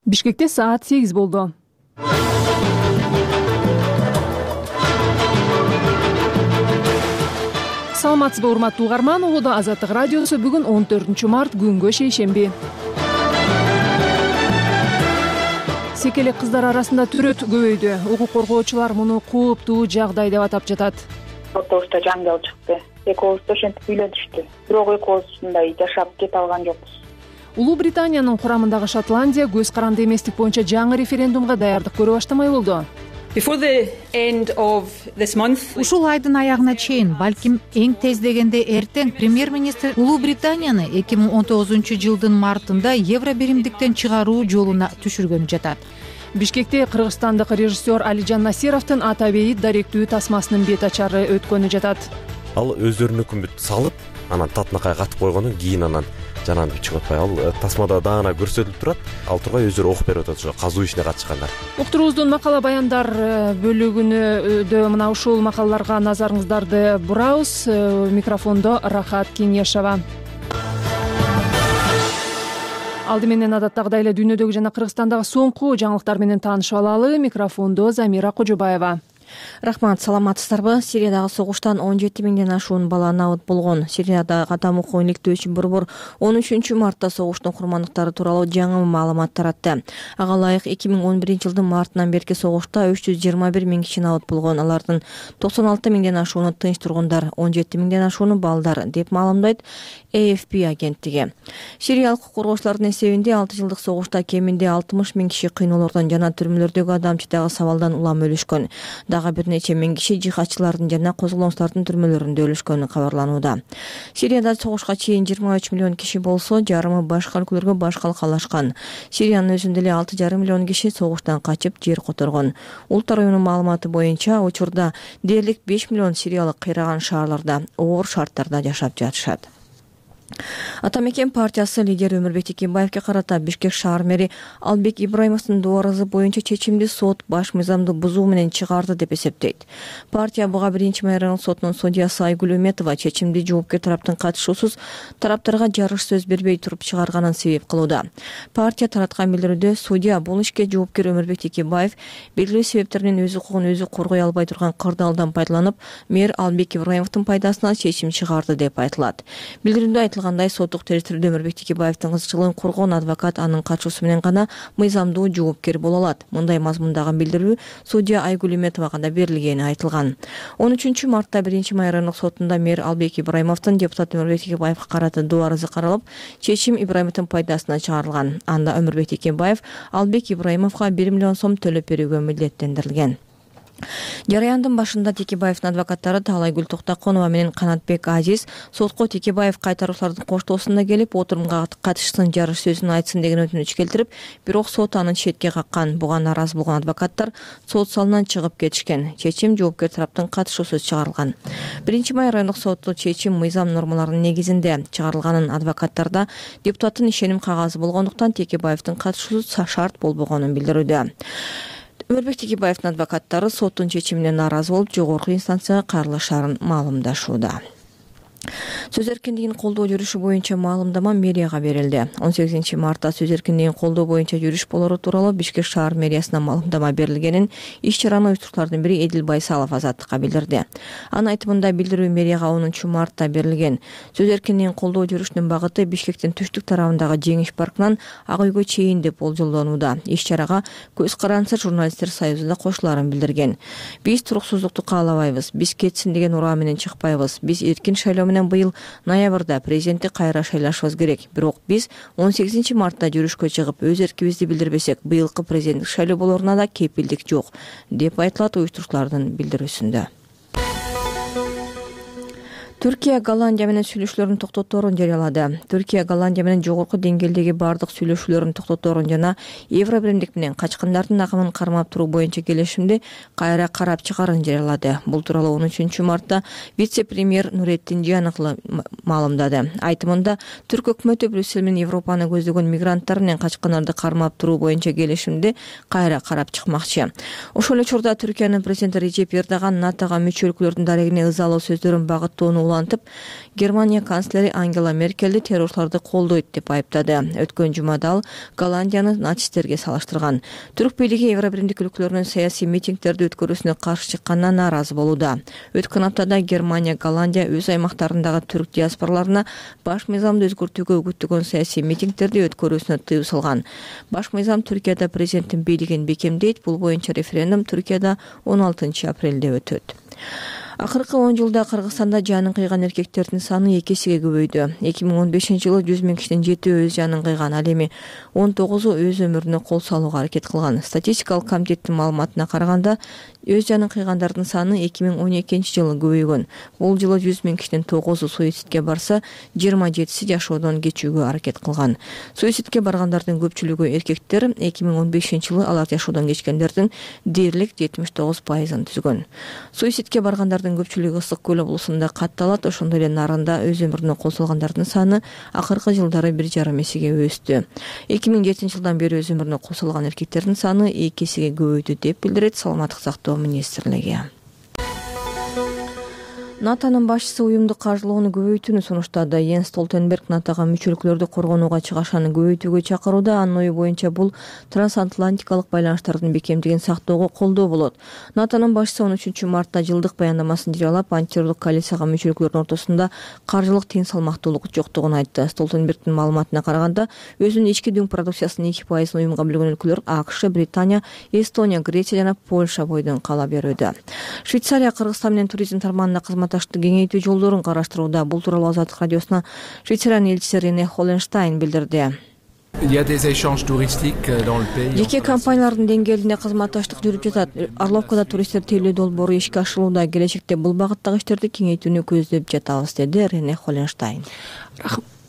Бишкекте саат 8 болду. Саламатсызбы урматтуу угарман, Улуу Азаттык радиосу бүгүн 14 март күнгө шейшемби. Секелек кыздар арасында түрөт көбөйдү. Укук коргоочулар муну кооптуу жагдай деп атап жатат. Автобуста жаңгал чыкты. Экөөбүз ошентип үйлөнүштү. Бирок экөөбүз мындай жашап кете алган жокпуз. Улуу Британиянын курамындагы Шотландия көз каранды эместик боюнча жаңы референдумга даярдык көрө баштамай болду. Ушул айдын аягына чейин, балким эң тез дегенде эртең, премьер-министр Улуу Британияны 2019-жылдын мартында евро биримдиктен чыгаруу жолуна түшүргөнү жатат. Бишкекте кыргызстандык режиссер Алижан Насировдун ата бейит даректүү тасмасынын бет ачары өткөнү жатат. Ал өздөрүнүкүн бүт салып, анан татынакай катып койгондон кийин анан жанан чыгып атпай, ал тасмада даана көрсөтүлүп турат. Ал тургай өздөрү окуп берип атат, ошо казуу ишине катышкандар. Уктуруубуздун макала баяндар бөлүгүнө мына ушул макалаларга назарыңыздарды бурабыз. Микрофондо Рахат Кенешова. Алды менен адаттагыдай эле дүйнөдөгү жана Кыргызстандагы соңку жаңылыктар менен таанышып алалы. Микрофондо Замира Кожобаева. Рахмат, саламатсыздарбы? Сириядагы согуштан 17 миңден ашуун бала набыт болгон. Сириядагы катам окуу иликтөөчү борбор 13 мартта согуштун курмандыктары тууралуу жаңы маалымат таратты. Ага ылайык 2011-жылдын мартынан берки согушта 321 миң киши набыт болгон. Алардын 96 миңден ашууну тынч тургундар, 17 миңден ашууну балдар, деп маалымдайт AFP агенттиги. Сириялык укук коргоочулардын эсебинде 6 жылдык согушта кеминде 60 миң киши кыйноолордон жана түрмөлөрдөгү адамчыдагы сабалдан улам өлүшкөн. Дагы бир нече миң киши жихадчылардын жана козголоңчулардын түрмөлөрүндө өлүшкөнү кабарланууда. Сирияда согушка чейин 23 миллион киши болсо, жарымы башка өлкөлөргө баш калкалашкан. Сириянын өзүндө эле 6,5 миллион киши согуштан качып жер которгон. Улуттар уюмунун маалыматы боюнча, учурда дээрлик 5 миллион сириялык кыйраган шаарларда оор шарттарда жашап жатышат. Ата мекен партиясы лидери Өмүрбек Текебаевге карата Бишкек шаар мэри Албек Ибраимовдун дуарызы боюнча чечимди сот баш мыйзамды бузуу менен чыгарды деп эсептейт. Партия буга 1-май райондук сотунун судьясы Айгүл Үметова чечимди жоопкер тараптын катышуусуз тараптарга жарыш сөз бербей туруп чыгарганын себеп кылууда. Партия тараткан билдирүүдө судья бул ишке жоопкер Өмүрбек Текебаев белгилүү себептер менен өз укугун өзү коргой албай турган кырдаалдан пайдаланып, мэр Албек Ибраимовдун пайдасына чечим чыгарды деп айтылат. Билдирүүдө соттук територияда Өмүрбек Текебаевдин кызыкчылыгын коргоон адвокат анын катышуусу менен гана мыйзамдуу жоопкер боло алат. Мындай мазмундагы билдирүү судья Айгүл Үметовага да берилгени айтылган. 13 мартта 1-май райондук сотунда мэр Албек Ибраимовдун депутат Өмүрбек Текебаевге карата дуарызы каралып, чечим Ибраимовдун пайдасына чыгарылган. Анда Өмүрбек Текебаев Албек Ибраимовго 1 миллион сом төлөп берүүгө милдеттендирилген. Жараяндын башында Текебаевдин адвокаттары Таалайгүл Токтоконова менен Канатбек Азиз сотко Текебаев кайтаруучулардын коштоосунда келип, отурумга катышсын, жарыш сөзүн айтсын деген өтүнүч келтирип, бирок сот аны четке каккан. Буга нааразы болгон адвокаттар сот залынан чыгып кетишкен. Чечим жоопкер тараптын катышуусуз чыгарылган. 1-май райондук соту чечим мыйзам нормаларынын негизинде чыгарылганын, адвокаттарда депутаттын ишеним кагазы болгондуктан Текебаевдин катышуусу шарт болбогонун билдирүүдө. Өмүрбек Текебаевдин адвокаттары соттун чечимине нааразы болуп, жогорку инстанцияга кайрылышарын маалымдашууда. Сөз эркиндигин колдоо жүрүшү боюнча маалымдама мэрияга берилди. 18 мартта сөз эркиндигин колдоо боюнча жүрүш болору тууралуу Бишкек шаар мэриясына маалымдама берилгенин иш-чараны уюштуруучулардын бири Эдил Байсалов Азаттыкка билдирди. Анын айтымында билдирүү мэрияга 10 мартта берилген. Сөз эркиндигин колдоо жүрүшүнүн багыты Бишкектин түштүк тарабындагы Жеңиш паркынан Ак үйгө чейин деп болжолдонууда. Иш-чарага Көз карандысы журналисттер союзу да кошулаарын билдирген. Биз туруксуздукту каалабайбыз, биз кетсин деген ураа менен чыкпайбыз, биз эркин шайлоо менен быйыл ноябрда президентти кайра шайлашыбыз керек. Бирок биз 18 мартта жүрүшкө чыгып, өз эркибизди билдирбесек, быйылкы президенттик шайлоо болоруна да кепилдик жок, деп айтылат уюштуруучулардын билдирүүсүндө. Түркия Голландия менен сүйлөшүүлөрүн токтоторун жарыялады. Түркия Голландия менен жогорку деңгээлдеги бардык сүйлөшүүлөрүн токтоторун жана евро биримдик менен качкындардын агымын кармап туруу боюнча келишимди кайра карап чыгарын жарыялады. Бул тууралуу 13 мартта вице-премьер Нуретдин Жианоглу маалымдады. Айтымында, Түрк өкмөтү Брюссель менен Европаны көздөгөн мигранттар менен качкындарды кармап туруу боюнча келишимди кайра карап чыкмакчы. Ошол эле учурда Түркиянын президенти Режеп Эрдоган НАТОга мүчө өлкөлөрдүн дарегине ызалуу сөздөрүн багыттоону улантып, Германия канцлери Ангела Меркельди террорчуларды колдойт деп айыптады. Өткөн жумада ал Голландияны нацисттерге салыштырган. Түрк бийлиги Евробиримдик өлкөлөрүнүн саясий митингдерди өткөрүүсүнө каршы чыкканына нааразы болууда. Өткөн аптада Германия, Голландия өз аймактарындагы түрк диаспораларына баш мыйзамды өзгөртүүгө үгүттөгөн саясий митингдерди өткөрүүсүнө тыюу салган. Баш мыйзам Түркияда президенттин бийлигин бекемдейт. Бул боюнча референдум Түркияда 16 апрелде өтөт. Акыркы 10 жылда Кыргызстанда жанын кыйган эркектердин саны 2 эсеге көбөйдү. 2015-жылы 100 000 кишинин 7 өз жанын кыйган, ал эми 19-у өз өмүрүнө кол салууга аракет кылган. Статистикалык комитеттин маалыматына караганда, өз жанын кыйгандардын саны 2012-жылы көбөйгөн. Бул жылы 100 000 кишинин 9-у суицидке барса, 27-си жашоодон кечүүгө аракет кылган. Суицидке баргандардын көпчүлүгү эркектер. 2015-жылы алар жашоодон кечкендердин дээрлик 79%-ын түзгөн. Суицидке баргандардын көпчүлүгү Ысык көл облусунда катталат. Ошондой эле Нарында өз өмүрүнө кол салгандардын саны акыркы жылдары 1,5 эсеге өстү. 2007-жылдан бери өз өмүрүнө кол салган эркектердин саны 2 эсеге көбөйдү деп билдирет Саламаттык сактоо министрлиги. НАТОнун башчысы уюмдук каржылоону көбөйтүүнү сунуштады. Йенс Столтенберг НАТОга мүчөлүктөрдү коргонууга чыгашаны көбөйтүүгө чакырууда. Анын ою боюнча бул трансатлантикалык байланыштардын бекемдигин сактоого колдоо болот. НАТОнун башчысы 13 мартта жылдык баяндамасын жарыялап, антитеррорлук коалицияга мүчөлүктөрдүн ортосунда каржылык тең салмактуулук жоктугун айтты. Столтенбергдин маалыматына караганда, өзүнүн ички дүң продукциясынын 2% уюмга бөлгөн өлкөлөр АКШ, Британия, Эстония, Греция жана Польша бойдон кала берүүдө. Швейцария Кыргызстан менен туризм тармагында кызматташты кеңейтүү жолдорун караштырууда. Бул тууралуу Азаттык радиосуна Швейцариянын элчиси Рене Холленштайн билдирди. Жеке компаниялардын деңгээлинде кызматташтык жүрүп жатат. Орловкада туристтер тейлөө долбоору ишке ашырылууда. Келечекте бул багыттагы иштерди кеңейтүүнү көздөп жатабыз, деди Рене Холленштайн.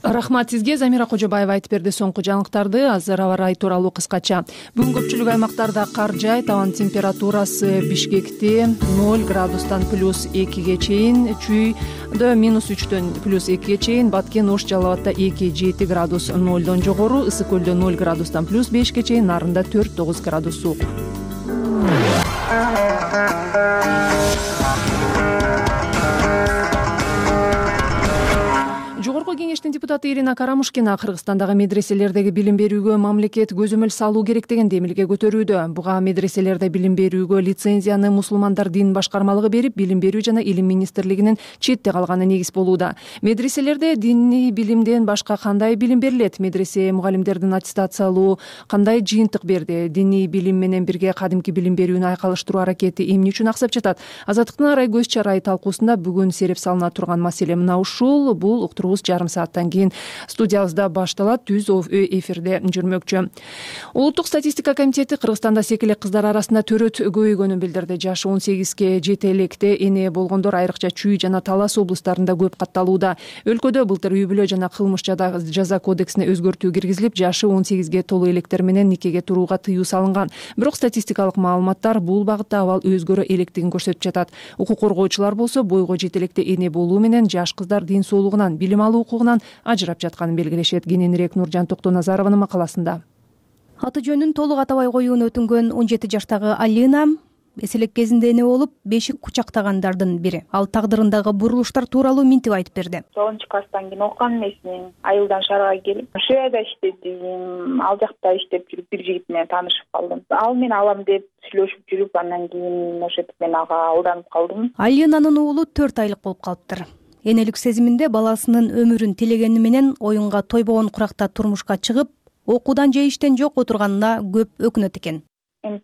Рахмат сизге. Замира Кожобаева айтып берди соңку жаңылыктарды. Азыр аба ырайы тууралуу кыскача. Бүгүн көпчүлүк аймактарда кар жаайт. Абанын температурасы Бишкекте 0 градустан +2ге чейин, Чүйдө -3төн +2ге чейин, Баткен, Ош, Жалал абадда 2-7 градус 0дон жогору, Ысык көлдө 0 градустан +5ге чейин, Нарында 4-9 градус суук. Жогорку кеңештин депутаты Ирина Карамушкина Кыргызстандагы медреселердеги билим берүүгө мамлекет көзөмөл салуу керек деген демилге көтөрүүдө. Буга медреселерде билим берүүгө лицензияны мусулмандар дин башкармалыгы берип, билим берүү жана илим министрлигинин четте калганы негиз болууда. Медреселерде диний билимден башка кандай билим берилет? Медресе мугалимдердин аттестациялоо кандай жыйынтык берди? Диний билим менен бирге кадимки билим берүүнү айкалыштыруу аракети эмне үчүн аксап жатат? Азаттыктын арай көз чарайы талкуусунда бүгүн сереп салына турган маселе мына ушул. Бул уктуруубуз жарым сааттан кийин студиябызда башталат, түз эфирде жүрмөкчү. Улуттук статистика комитети Кыргызстанда секелек кыздар арасында төрөт көбөйгөнүн билдирди. Жашы 18ге жете электе эне болгондор айрыкча Чүй жана Талас облустарында көп катталууда. Өлкөдө былтыр үй бүлө жана кылмыш жаза кодексине өзгөртүү киргизилип, жашы 18ге толуу электер менен никеге турууга тыюу салынган. Бирок статистикалык маалыматтар бул багытта абал өзгөрө электигин көрсөтүп жатат. Укук коргоочулар болсо бойго жете электе эне болуу менен жаш кыздар дин соолугунан, билим алуу укугунан ажырап жатканын белгилешет. Кененирээк Нуржан Токтоназарованын макаласында. Аты жөнүн толук атабай коюуну өтүнгөн 17 жаштагы Алина эселек кезинде эне болуп, бешик кучактагандардын бири. Ал тагдырындагы бурулуштар тууралуу минтип айтып берди. 9 класстан кийин окуган эмесмин. Айылдан шаарга келип, Швейцарияда иштедим. Ал жакта иштеп жүрүп бир жигит менен таанышып калдым. Ал мени алам деп сүйлөшүп жүрүп, андан кийин ошентип мен ага алданып калдым. Алинанын уулу 4 айлык болуп калыптыр. Энелик сезиминде баласынын өмүрүн тилегени менен оюнга тойбогон куракта турмушка чыгып, окуудан же иштен жок отурганына көп өкүнөт экен.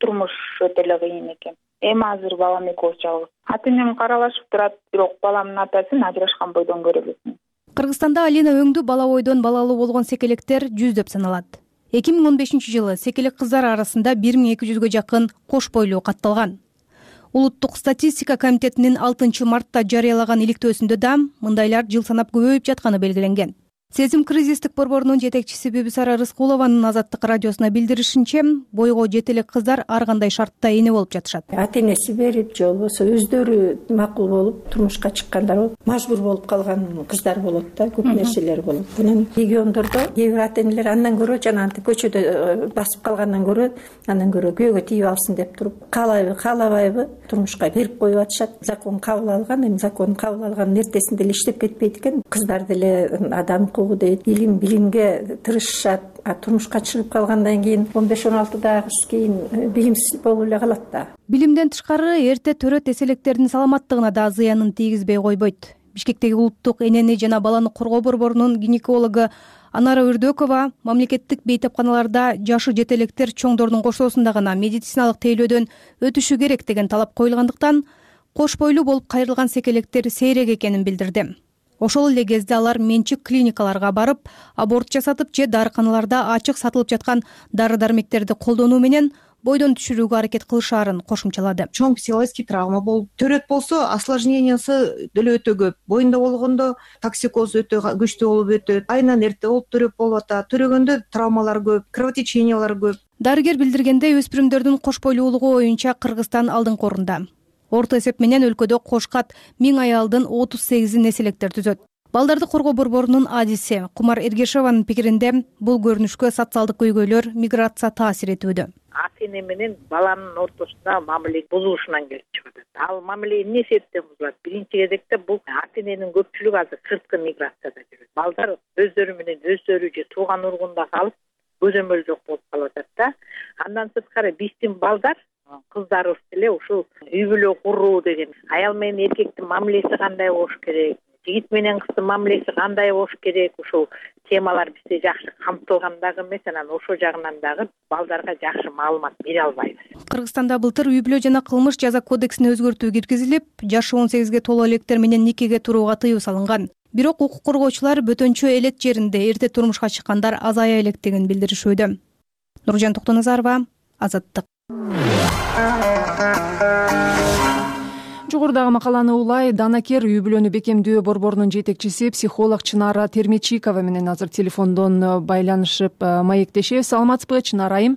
Турмуш өтө эле кыйын экен. Эми азыр балам экөөбүз жалгыз. Ата-энем каралашып турат, бирок баламдын атасын ажырашкан бойдон көрө элесиң. Кыргызстанда Алина өңдүү бала бойдон балалуу болгон секелектер жүздөп саналат. 2015-жылы секелек кыздар арасында 1200-гө жакын кош бойлуу катталган. Улуттук статистика комитетинин 6 мартта жарыялаган иликтөөсүндө да мындайлар жыл санап көбөйүп жатканы белгиленген. Сезим кризистик борборунун жетекчиси Бибисара Рыскулованын Азаттык радиосуна билдиришинче, бойго жете элек кыздар ар кандай шартта эне болуп жатышат. Ата энеси берип же болбосо өздөрү макул болуп турмушка чыккандар болуп, мажбур болуп калган кыздар болот да, көп нерселер болот. Анан региондордо кээ бир ата энелер андан көрө жанагынтип көчөдө басып калгандан көрө күйөөгө тийип алсын деп туруп, каалабайбы турмушка берип коюп атышат. Закон кабыл алган, эми закон кабыл алганын эртесинде эле иштеп кетпейт экен. Кыздар деле адам дейт, билимге тырышышат, турмушка чыгып калгандан кийин 15-16 дагы кийин билимсиз болуп эле калат да. Билимден тышкары эрте төрөт эселектердин саламаттыгына да зыянын тийгизбей койбойт. Бишкектеги улуттук энени жана баланы коргоо борборунун гинекологу Анара Үрдөкова мамлекеттик бейтапканаларда жашы жете электер чоңдордун кошоосунда гана медициналык тейлөөдөн өтүшү керек деген талап коюлгандыктан кош бойлуу болуп кайрылган секелектер сейрек экенин билдирди. Ошол эле кезде алар менчик клиникаларга барып, аборт жасатып же дарыканаларда ачык сатылып жаткан дары-дармектерди колдонуу менен бойдон түшүрүүгө аракет кылышаарын кошумчалады. Чоң психологический травма болуп, төрөт болсо осложнениясы деле өтө көп. Боюнда болгондо токсикоз өтө күчтүү болуп өтөт. Айынан эрте болуп төрөп болуп атат. Төрөгөндө травмалар көп, кровотечениялар көп. Дарыгер билдиргендей, өспүрүмдөрдүн кош бойлуулугу боюнча Кыргызстан алдыңкы орунда. Орто эсеп менен өлкөдө кошкат 1000 аялдын 38 эселектер түзөт. Балдарды коргоо борборунун адиси Кумар Эргешеванын пикиринде, бул көрүнүшкө социалдык көйгөйлөр, миграция таасир этүүдө. Ата эне менен баланын ортосунда мамиле бузулушунан келип чыгат. Ал мамиле эмне себептен бузулат? Биринчи кезекте бул ата эненин көпчүлүгү азыр сырткы миграцияда жүрөт. Балдар өздөрү менен өздөрү же тууган ургунда калып, көзөмөл жок болуп калып атат да. Андан сырткары биздин балдар, кыздарыбыз деле ушул үй бүлө куруу деген, аял менен эркектин мамилеси кандай болуш керек, жигит менен кыздын мамилеси кандай болуш керек, ушул темалар бизде жакшы камтылган дагы эмес, анан ошол жагынан дагы балдарга жакшы маалымат бере албайбыз. Кыргызстанда былтыр үй бүлө жана кылмыш жаза кодексине өзгөртүү киргизилип, жашы 18ге толо электер менен никеге турууга тыюу салынган. Бирок укук коргоочулар бөтөнчө элет жеринде эрте турмушка чыккандар азая электигин билдиришүүдө. Нуржан Токтоназарова, Азаттык. Жогорудагы макаланы улай Данакер үй бүлөнү бекемдөө борборунун жетекчиси психолог Чынара Термечикова менен азыр телефондон байланышып маектешебиз. Саламатсызбы, Чынара айым?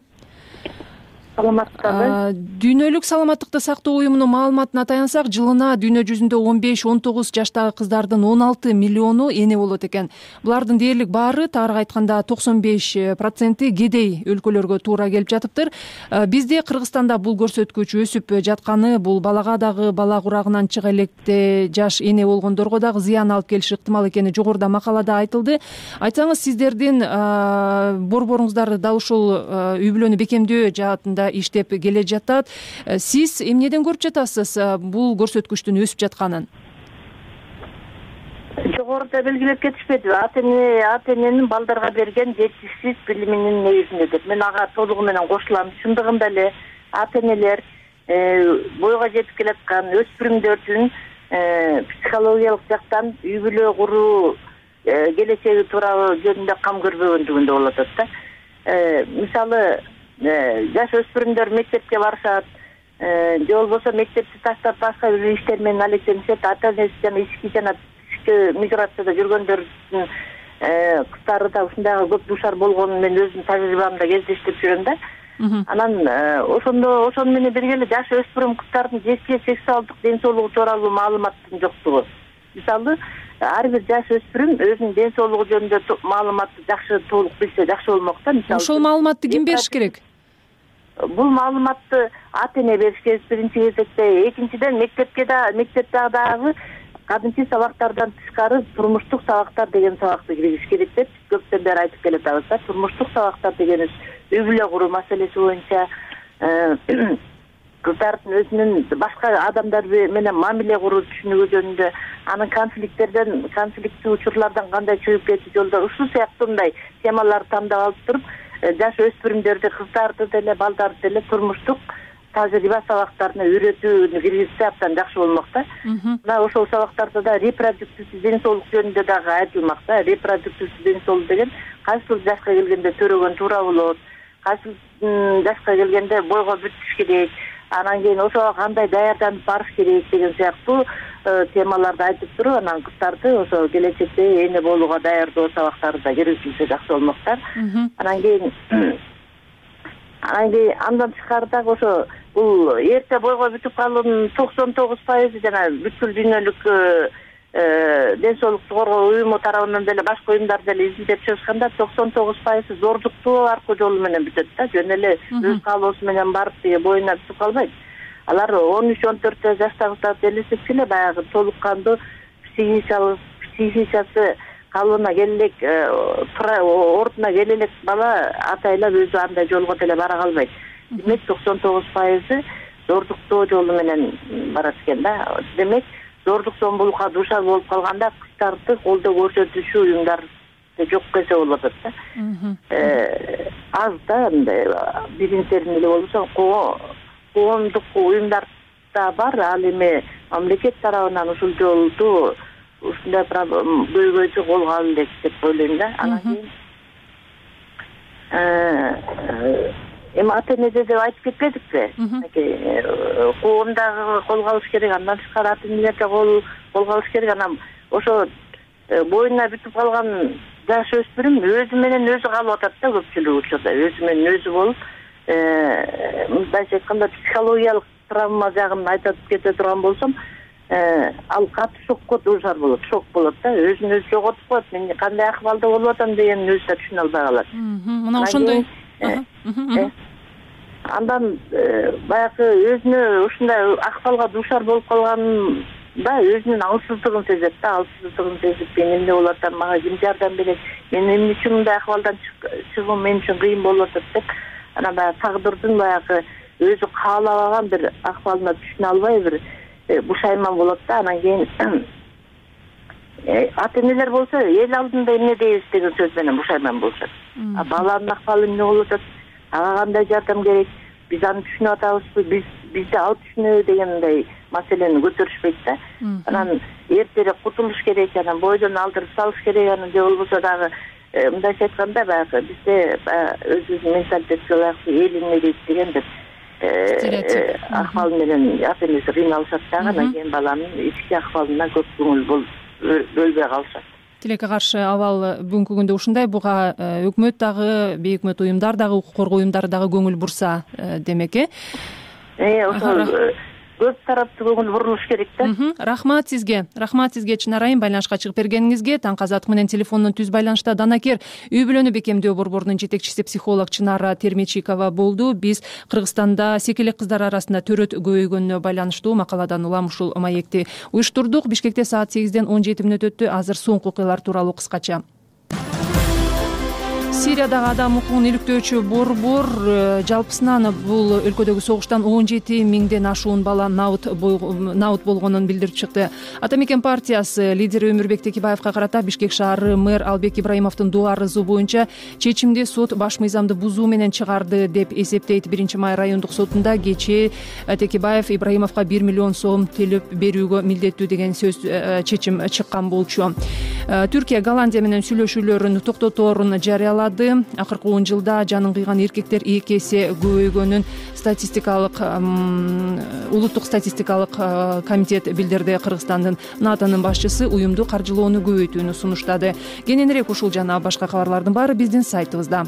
Саламатсызбы. Дүйнөлүк саламаттыкты сактоо уюмунун маалыматына таянсак, жылына дүйнө жүзүндө 15-19 жаштагы кыздардын 16 миллиону эне болот экен. Булардын дээрлик баары, тагыраак айтканда 95% кедей өлкөлөргө туура келип жатыптыр. Бизде Кыргызстанда бул көрсөткүч өсүп жатканы, бул балага дагы, бала курагынан чыга электе жаш эне болгондорго дагы зыян алып келиши ыктымал экени жогоруда макалада айтылды. Айтсаңыз, сиздердин борборуңуздар дал ушул үй бүлөнү бекемдөө жаатында иштеп келе жатат. Сиз эмнеден көрүп жатасыз бул көрсөткүчтүн өсүп жатканын? Жогоруда белгилеп кетишпедиби? Ата эненин балдарга берген жетишсиз билиминин негизинде. Мен ага толугу менен кошулам. Чындыгында эле ата энелер бойго жетип келаткан өспүрүмдөрдүн психологиялык жактан үй бүлө куруу келечеги тууралуу жөнүндө кам көрбөгөндүгүндө болуп атат да. Мисалы, жаш өспүрүмдөр мектепке барышат, же болбосо мектепти таштап башка бир иштер менен алектенишет. Ата энеси жана ички жана тышкы миграцияда жүргөндөрдүн кыздары да ушундайга көп дуушар болгонун мен өзүмдүн тажрыйбамда кездештирип жүрөм да. Анан ошону менен бирге эле жаш өспүрүм кыздардын жеке сексуалдык ден соолугу тууралуу маалыматтын жоктугу. Мисалы, ар бир жаш өспүрүм өзүнүн ден соолугу жөнүндө маалыматты жакшы толук билсе жакшы болмок да. Мисалы, ошол маалыматты ким бериш керек? Бул маалыматты ата эне бериш керек биринчи кезекте. Экинчиден, мектепте дагы кадимки сабактардан тышкары турмуштук сабактар деген сабакты киргизиш керек деп көптөн бери айтып келатабыз да. Турмуштук сабактар дегенибиз үй бүлө куруу маселеси боюнча кыздардын өзүнүн башка адамдар менен мамиле куруу түшүнүгү жөнүндө, анын конфликттүү учурлардан кандай чыгып кетүү жолдору, ушул сыяктуу мындай темаларды тандап алып туруп, жаш өспүрүмдөрдү, кыздарды деле, балдарды деле турмуштук тажрыйба сабактарына үйрөтүүнү киргизсе абдан жакшы болмок да. Мына ошол сабактарда да репродуктивдүү ден соолук жөнүндө дагы айтылмак да. Репродуктивдүү ден соолук деген кайсыл жашка келгенде төрөгөн туура болот, кайсыл жашка келгенде бойго бүтүш керек, анан кийин ошого кандай даярданып барыш керек деген сыяктуу темаларды айтып туруп анан кыздарды ошо келечекте эне болууга даярдоо сабактарында киргизилсе жакшы болмоктур. Анан кийин андан тышкары дагы ошо бул эрте бойго бүтүп калуунун 99% жана бүткүл дүйнөлүк ден соолукту коргоо уюму тарабынан деле башка уюмдар деле изилдеп чыгышканда 99% зордуктоо аркылуу жолу менен бүтөт да. Жөн эле өз каалоосу менен барып боюна бүтүп калбайт. Алар 13-14 жаштагы элестетсе эле баягы толук кандуу психикасы калыбына келе элек, ордуна келе элек бала атайлап өзү андай жолго деле бара калбайт. Демек 99% зордуктоо жолу менен барат экен да. Демек зордук зомбулукка дуушар болуп калганда кыздарды колдоо көрсөтүүчү уюмдар жок кесе болуп атат да. Аз да мындай биринтерин эле болбосо коомдук уюмдар да бар. Ал эми мамлекет тарабынан ушул жолду ушундай көйгөйдү колго алып элек деп ойлойм да. Анан кийин эми ата-энеде деп айтып кетпедикпи? Коом дагы колго алыш керек, андан тышкары ата-энелер да колго алыш керек. Анан ошо боюна бүтүп калган жаш өспүрүм өзү менен өзү калып атат да көпчүлүк учурда. Өзү менен өзү болуп, мындайча айтканда психологиялык травма жагын айтып кете турган болсом, ал катуу шокко дуушар болот, шок болот да. Өзүн өзү жоготуп коет. Мен кандай акыбалда болуп атам дегенин өзү да түшүнө албай калат. Мына ошондой андан баягы өзүнө ушундай акыбалга дуушар болуп калганда өзүнүн алсыздыгын сезет да. Алсыздыгын сезип, мен эмне болуп атам, мага ким жардам берет, мен эмне үчүн мындай акыбалдан чыгуум мен үчүн кыйын болуп атат деп анан баягы тагдырдын баягы өзү каалабаган бир акыбалына түшүнө албай бир бушайман болот да. Анан кийин ата-энелер болсо эл алдында эмне дейбиз деген сөз менен бушайман болушат. Баланын акыбалы эмне болуп атат, ага кандай жардам керек, биз аны түшүнүп атабызбы, бизди ал түшүнөбү дегендей маселени көтөрүшпөйт да. Анан эртерээк кутулуш керек, анан бойдон алдырып салыш керек, анан же болбосо дагы мындайча айтканда баягы бизде өзүбүздүн менталитетке ылайыктуу эл эмне дейт деген деп акыбал менен ата-энеси кыйналышат дагы. Анан кийин баланын ички акыбалына көп көңүл бөлбөй калышат. Тилекке каршы абал бүгүнкү күндө ушундай. Буга өкмөт дагы, бейөкмөт уюмдар дагы, укук коргоо уюмдары дагы көңүл бурса демек ошол көп тараптуу көңүл бурулуш керек да. Рахмат сизге Чынар айым байланышка чыгып бергениңизге. Таңкы азаттык менен телефондон түз байланышта данакер үй бүлөнү бекемдөө борборунун жетекчиси психолог Чынара Термечикова болду. Биз Кыргызстанда секелек кыздар арасында төрөт көбөйгөнүнө байланыштуу макаладан улам ушул маекти уюштурдук. Бишкекте саат 8-ден 17 мүнөт өттү. Азыр соңку окуялар тууралуу кыскача. Сириядагы адам укугун иликтөөчү борбор жалпысынан бул өлкөдөгү согуштан 17 миңден ашуун бала наут болгонун билдирип чыкты. Ата мекен партиясы лидери Өмүрбек Текебаевга карата Бишкек шаары мэр Албек Ибраимовдун доо арызы боюнча чечимди сот баш мыйзамды бузуу менен чыгарды деп эсептейт. 1-май райондук сотунда кечээ Текебаев Ибраимовго 1 миллион сом төлөп берүүгө милдеттүү деген чечим чыккан болчу. Түркия Голландия менен сүйлөшүүлөрүн токтоторун жарыялады. Акыркы 10 жылда жанын кыйган эркектер 2 эсе көбөйгөнүн улуттук статистикалык комитет билдирди. Кыргызстандын НАТОнун башчысы уюмду каржылоону көбөйтүүнү сунуштады. Кененирээк ушул жана башка кабарлардын баары биздин сайтыбызда.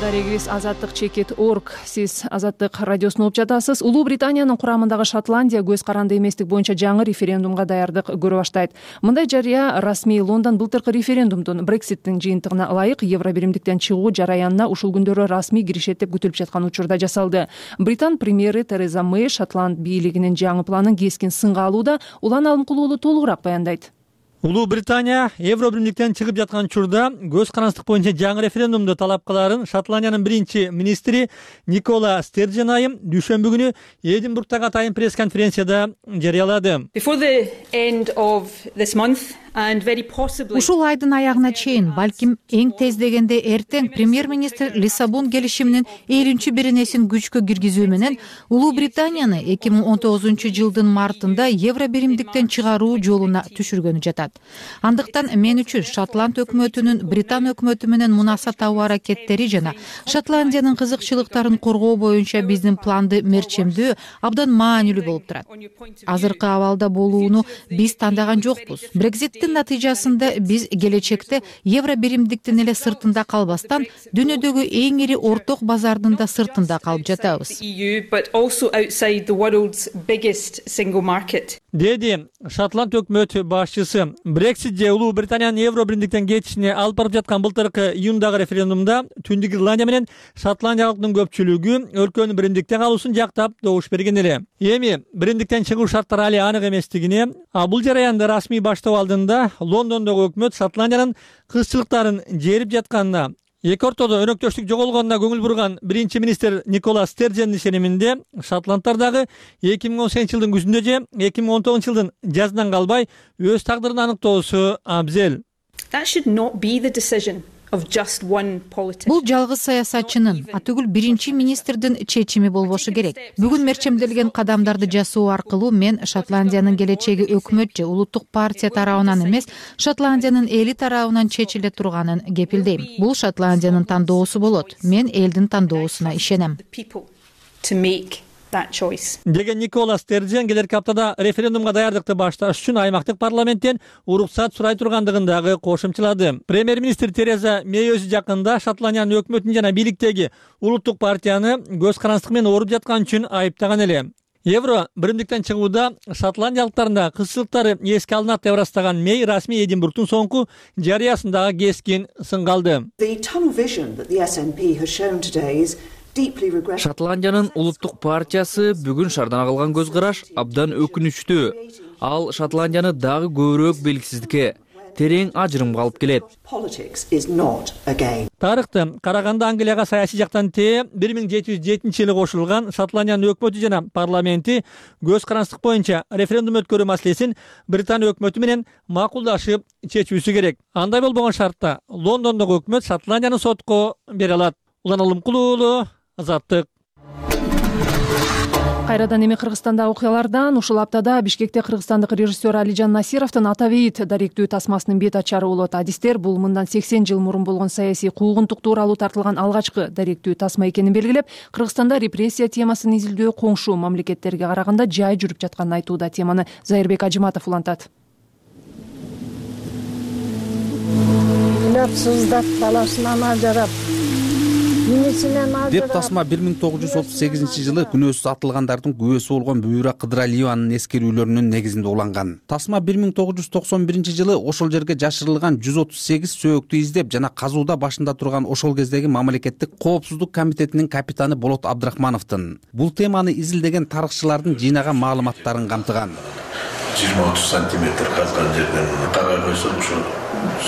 Дарегибиз azаттык.org. Сиз Азаттык радиосун угуп жатасыз. Улуу Британиянын курамындагы Шотландия көз каранды эместик боюнча жаңы референдумга даярдык көрө баштайт. Мындай жарыя расмий Лондон былтыркы референдумдун Брекситтин жыйынтыгына ылайык Евробиримдиктен чыгуу жараянына ушул күндөрү расмий киришет деп күтүлүп жаткан учурда жасалды. Британ премьери Тереза Мэй Шотланд бийлигинин жаңы планын кескин сынга алууда. Улан Алымкулуулу толугураак баяндайт. Улуу Британия Евробиримдиктен чыгып жаткан учурда көз карандылык боюнча жаңы референдумду талап кылаарын Шотландиянын биринчи министри Никола Стерджен айым дүйшөмбү күнү Эдинбургдагы атайын пресс-конференцияда жарыялады. Ушул айдын аягына чейин, балким эң тез дегенде эртең премьер-министр Лиссабон келишиминин 50-беренесин күчкө киргизүү менен Улуу Британияны 2019 жылдын мартында Евробиримдиктен чыгаруу жолуна түшүргөнү жатат. турат. Андыктан мен үчүн Шотланд өкмөтүнүн Британ өкмөтү менен мунаса табуу аракеттери жана Шотландиянын кызыкчылыктарын коргоо боюнча биздин планды мерчемдөө абдан маанилүү болуп турат. Азыркы абалда болууну биз тандаган жокпуз. Брекзиттин натыйжасында биз келечекте евро биримдиктин эле сыртында калбастан дүйнөдөгү эң ири орток базардын да сыртында калып жатабыз. Деди Шотланд өкмөт башчысы. Брексит же Улуу Британиянын Евро биримдиктен кетишине алып барып жаткан былтыркы июндагы референдумда Түндүк Ирландия менен Шотландия халкынын көпчүлүгү өлкөнүн биримдикте калуусун жактап добуш берген эле. Эми биримдиктен чыгуу шарттары али анык эместигине, бул жараянды расмий баштоо алдында Лондондогу өкмөт Шотландиянын кызчылыктарын жерип жатканына, эки ортодо өнөктөштүк жоголгонуна көңүл бурган биринчи министр Никола Стерджендин ишениминде Шотландтар дагы 2018 жылдын күзүндө же 2019 жылдын жазынан калбай өз тагдырын аныктоосу абзел. Бул жалгыз саясатчынын, атүгүл биринчи министрдин чечими болбошу керек. Бүгүн мерчемделген кадамдарды жасоо аркылуу мен Шотландиянын келечеги өкмөт же улуттук партия тарабынан эмес, Шотландиянын эли тарабынан чечиле турганын кепилдейм. Бул Шотландиянын тандоосу болот. Мен элдин тандоосуна ишенем. Деген Никола Стерджен келерки аптада референдумга даярдыкты башташ үчүн аймактык парламенттен уруксат сурай тургандыгын дагы кошумчалады. Премьер-министр Тереза Мэй өзү жакында Шотландиянын өкмөтүн жана бийликтеги улуттук партияны көз карандык менен ооруп жаткан үчүн айыптаган эле. Евро биримдиктен чыгууда шотландиялыктардын да кызчылыктары эске алынат деп ырастаган Мэй расмий Эдинбургтун соңку жарыясындагы кескин сынга алды. Шотландиянын улуттук партиясы бүгүн шаардан калган көз караш абдан өкүнүчтүү. Ал Шотландияны дагы көбүрөөк белгисиздикке, терең ажырымга алып келет. Тарыхты караганда Англияга саясий жактан 1707-жылы кошулган Шотландиянын өкмөтү жана парламенти көз карандык боюнча референдум өткөрүү маселесин Британ өкмөтү менен макулдашып чечүүсү керек. Андай болбогон шартта Лондондогу өкмөт Шотландияны сотко бере алат. Улан Алымкулуу, Азаттык. Кайрадан эми Кыргызстандагы окуялардан. Ушул аптада Бишкекте кыргызстандык режиссер Алижан Насировдун Ата бейит даректүү тасмасынын бет ачары болот. Адистер бул мындан 80 жыл мурун болгон саясий куугунтук тууралуу тартылган алгачкы даректүү тасма экенин белгилеп, Кыргызстанда репрессия темасын изилдөө коңшу мамлекеттерге караганда жай жүрүп жатканын айтууда. Теманы Зайырбек Ажыматов улантат. Сыздап баласынан ажырап деп тасма 1938 жылы күнөөсүз атылгандардын күбөсү болгон Бүйүра Кыдыралиеванын эскерүүлөрүнүн негизинде уланган. Тасма 1991 жылы ошол жерге жашырылган 138 сөөктү издеп жана казууда башында турган ошол кездеги мамлекеттик коопсуздук комитетинин капитаны Болот Абдрахмановдун. Бул теманы изилдеген тарыхчылардын жыйнаган маалыматтарын камтыган. 20-30 сантиметр казган жерден карай койсок ушул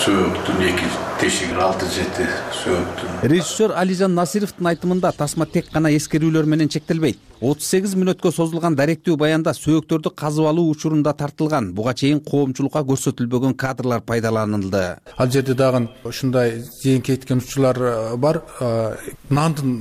сөөктүн эки тешигин 6-7 сөөктүн. Режиссер Алижан Насировдун айтымында тасма тек гана эскерүүлөр менен чектелбейт. 38 мүнөткө созулган даректүү баянда сөөктөрдү казып алуу учурунда тартылган, буга чейин коомчулукка көрсөтүлбөгөн кадрлар пайдаланылды. Ал жерде дагы ушундай зыян кеткен учурлар бар. Нандын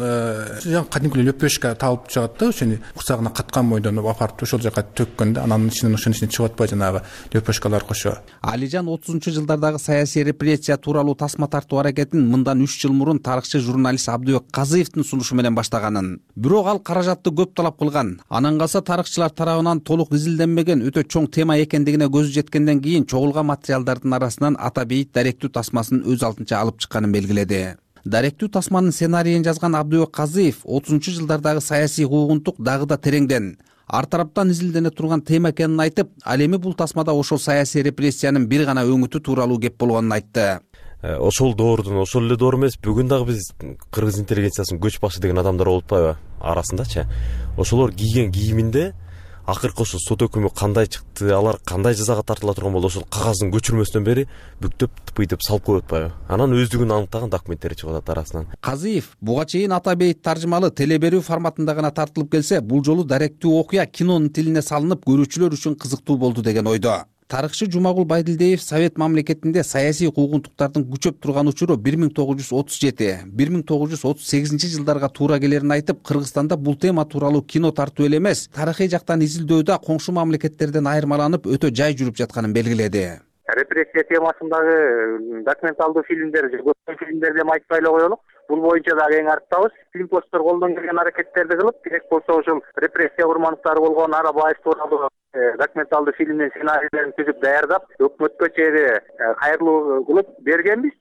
кадимки лөпөшка табылып чыгат да, ошону курсагына каткан бойдон апарып ошол жака төккөндө анан ошонун ичине чыгып атпай жанагы лөпөшкалар кошо. Алижан 30-жылдардагы саясий репрессия тууралуу тасма тартуу аракетин мындан 3 жыл мурун тарыхчы журналист Абдыбек Казыевдин сунушу менен баштаганын. Бирок ал каражатты көп талап кылган. Анан калса тарыхчылар тарабынан толук изилденбеген өтө чоң тема экендигине көзү жеткенден кийин чогулган материалдардын арасынан Ата бейит даректүү тасмасын өз алдынча алып чыкканын белгиледи. Даректүү тасманын сценарийин жазган Абдыбек Казыев 30-жылдардагы саясий куугунтук дагы да тереңден, ар тараптан изилдене турган тема экенин айтып, ал эми бул тасмада ошол саясий репрессиянын бир гана өңүтү тууралуу кеп болгонун айтты. Ошол доордун ошол эле доор эмес, бүгүн дагы биз кыргыз интеллигенциясынын көч башы деген адамдар болуп атпайбы арасындачы. Ошолор кийген кийиминде акыркы ошол сот өкүмү кандай чыкты, алар кандай жазага тартыла турган болду, ошол кагаздын көчүрмөсүнөн бери бүктөп тыпыйтып салып коюп атпайбы. Анан өздүгүн аныктаган документтер чыгып атат арасынан. Казыев буга чейин Ата бейит таржымалуу теле берүү форматында гана тартылып келсе, бул жолу даректүү окуя кинонун тилине салынып, көрүүчүлөр үчүн кызыктуу болду деген ойдо. Тарыхчы Жумагул Байдилдиев Совет мамлекетинде саясий куугунтуктардын күчөп турган учуру 1937-1938 жылдарга туура келерин айтып, Кыргызстанда бул тема тууралуу кино тартуу эле эмес, тарыхый жактан изилдөөдө коңшу мамлекеттерден айырмаланып өтө жай жүрүп жатканын белгиледи. репрессия темасындагы документалдуу фильмдер же көптөгөн фильмдерди эми айтпай эле коелук. Бул боюнча дагы эң арттабыз. Фильмпосттор колдон келген аракеттерди кылып, керек болсо ушул репрессия курмандыктары болгон Арабаев тууралуу документалдуу фильмдин сценарийлерин түзүп даярдап, өкмөткө чейин кайрылуу кылып бергенбиз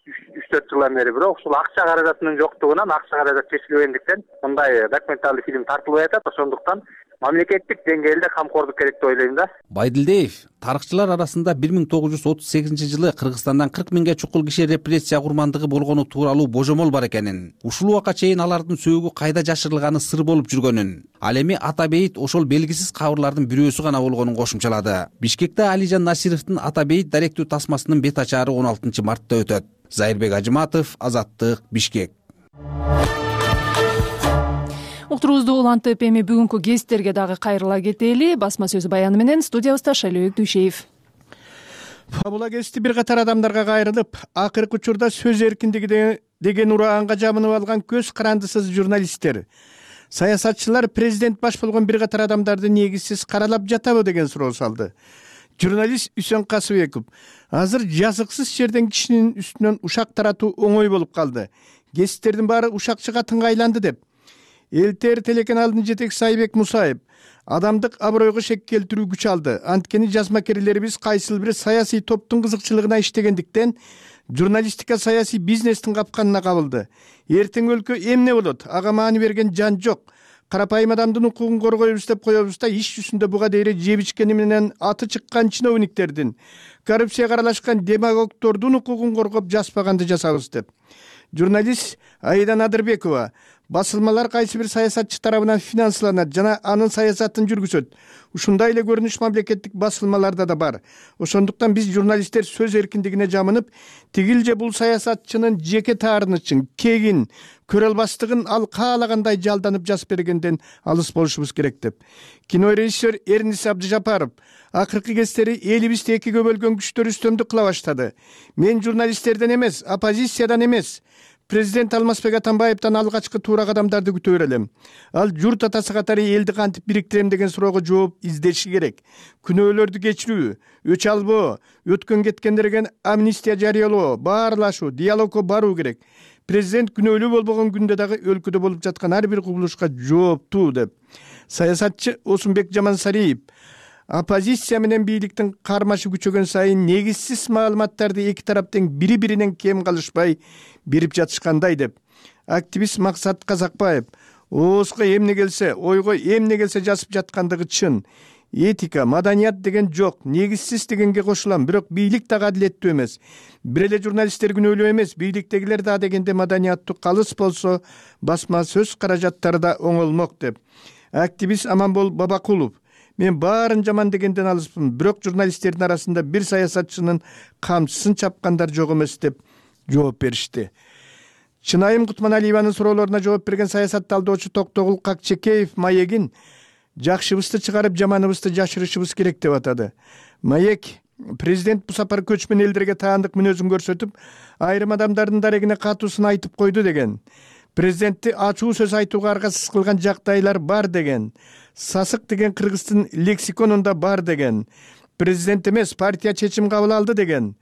3-4 жылдан бери. Бирок ушул акча каражатынын жоктугунан, акча каражат жетишпегендиктен мындай документалдуу фильм тартылбай атат. Ошондуктан мамлекеттик деңгээлде камкордук керек деп ойлойм да. Байдилдиев тарыхчылар арасында 1938-жылы Кыргызстандан 40 миңге чукул киши репрессия курмандыгы болгону тууралуу божомол бар экенин, ушул убакка чейин алардын сөөгү кайда жашырылганы сыр болуп жүргөнүн, ал эми ата бейит ошол белгисиз кабырлардын бирөөсү гана болгонун кошумчалады. Бишкекте Алижан Насировдун ата бейит даректүү тасмасынын бет ачаары 16-мартта өтөт. Зайырбек Ажыматов, Азаттык, Бишкек. Уктуруубузду улантып, эми бүгүнкү гесттерге дагы кайрыла кетели. Басма сөз баяны менен студиябызда Шайлообек Дүйшеев. Фабула гести бир катар адамдарга кайрылып, акыркы учурда сөз эркиндиги деген ураганга жабынып алган көз карандысыз журналисттер, саясатчылар президент баш болгон бир катар адамдарды негизсиз каралап жатабы деген суроо салды. Журналист Үсөн Касыбеков: азыр жазыксыз жерден кишинин үстүнөн ушак таратуу оңой болуп калды. Гесттердин баары ушакчыга тыңгайланды деп. ЛТР телеканалынын жетекчиси Айбек Мусаев: адамдык абройго шек келтирүү күч алды. Анткени жазмакерлерибиз кайсыл бир саясий топтун кызыкчылыгына иштегендиктен журналистика саясий бизнестин капканына кабылды. Эртең өлкө эмне болот? Ага маани берген жан жок. Карапайым адамдын укугун коргойбуз деп коебуз да, иш жүзүндө буга дейре жеп ичкени менен аты чыккан чиновниктердин, коррупцияга аралашкан демагогдордун укугун коргоп жазбаганды жасабыз деп. Журналист Айдан Адырбекова: басылмалар кайсы бир саясатчы тарабынан финансланат жана анын саясатын жүргүзөт. Ушундай эле көрүнүш мамлекеттик басылмаларда да бар. Ошондуктан биз журналисттер сөз эркиндигине жамынып, тигил же бул саясатчынын жеке таарынычын, кегин, көрө албастыгын ал каалагандай жалданып жазып бергенден алыс болушубуз керек деп. Кинорежиссер Эрнис Абдыжапаров: акыркы кездери элибизди экиге бөлгөн күчтөр үстөмдүк кыла баштады. Мен журналисттерден эмес, оппозициядан эмес, президент Алмазбек Атамбаевден алгачкы туура кадамдарды күтө берелим. Ал журт атасы катары элди кантип бириктирем деген суроого жооп издеши керек. Күнөөлөрдү кечирүү, өч албоо, өткөн кеткендерге амнистия жарыялоо, баарлашуу, диалогко баруу керек. Президент күнөөлүү болбогон күндө дагы өлкөдө болуп жаткан ар бир кубулушка жооптуу деп. Саясатчы Осунбек Жамансариев: оппозиция менен бийликтин кармашы күчөгөн сайын негизсиз маалыматтарды эки тараптын бири-биринен кем калышпай берип жатышкандай деп. Активист Максат Казакбаев: оозго эмне келсе, ойго эмне келсе жазып жаткандыгы чын. Этика, маданият деген жок, негизсиз дегенге кошулам, бирок бийлик дагы адилеттүү эмес. Бир эле журналисттер күнөөлүү эмес, бийликтегилер да дегенде маданияттуу калыс болсо, басма сөз каражаттары да оңолмок деп. Активист Аманбол Бабакулов: мен баарын жаман дегенден алыспын, бирок журналисттердин арасында бир саясатчынын камчысын чапкандар жок эмес деп жооп беришти. Чынайым Кутманалиеванын суроолоруна жооп берген саясат талдоочу Токтогул Какчекеев маегин жакшыбызды чыгарып жаманыбызды жашырышыбыз керек деп атады. Маек: президент бул сапар көчмөн элдерге таандык мүнөзүн көрсөтүп, айрым адамдардын дарегине катуусун айтып койду деген. Президентти ачуу сөз айтууга аргасыз кылган жагдайлар бар деген. Сасык деген кыргыздын лексиконунда бар деген. Президент эмес, партия чечим кабыл алды деген.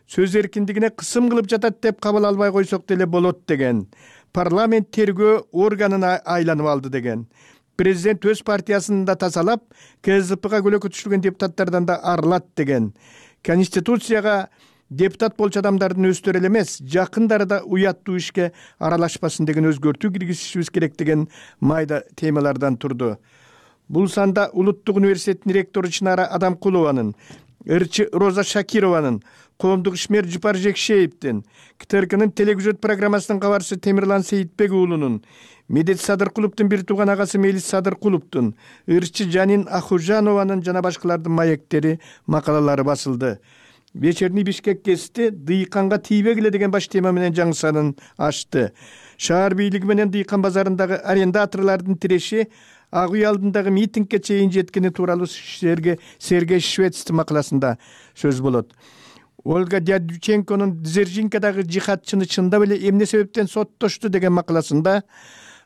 Сөз эркиндигине кысым кылып жатат деп кабыл албай койсок деле болот деген. Парламент тергөө органына айланып алды деген. Президент өз партиясын да тазалап, КСДПга көлөкө түшүргөн депутаттардан да арылат деген. Конституцияга депутат болчу адамдардын өздөрү эле эмес, жакындары да уяттуу ишке аралашпасын деген өзгөртүү киргизишибиз керек деген майда темалардан турду. Бул санда Улуттук университеттин ректору Чынара Адамкулованын, ырчы Роза Шакированын, коомдук ишмер Жупар Жекшеевдин, КТРКнын телегүзөт программасынын кабарчысы Темирлан Сейитбек уулунун, Медет Садыркуловдун бир тууган агасы Мелис Садыркуловдун, ырчы Жанин Ахужанованын жана башкалардын маектери, макалалары басылды. Вечерний Бишкек гезити дыйканга тийбегиле деген баш тема менен жаңы санын ачты. Шаар бийлиги менен дыйкан базарындагы арендаторлордун тиреши Ак үй алдындагы митингге чейин жеткени тууралуу Сергей Швецтин макаласында сөз болот. Ольга Дядюченконун Дзержинкадагы жихадчыны чындап эле эмне себептен соттошту деген макаласында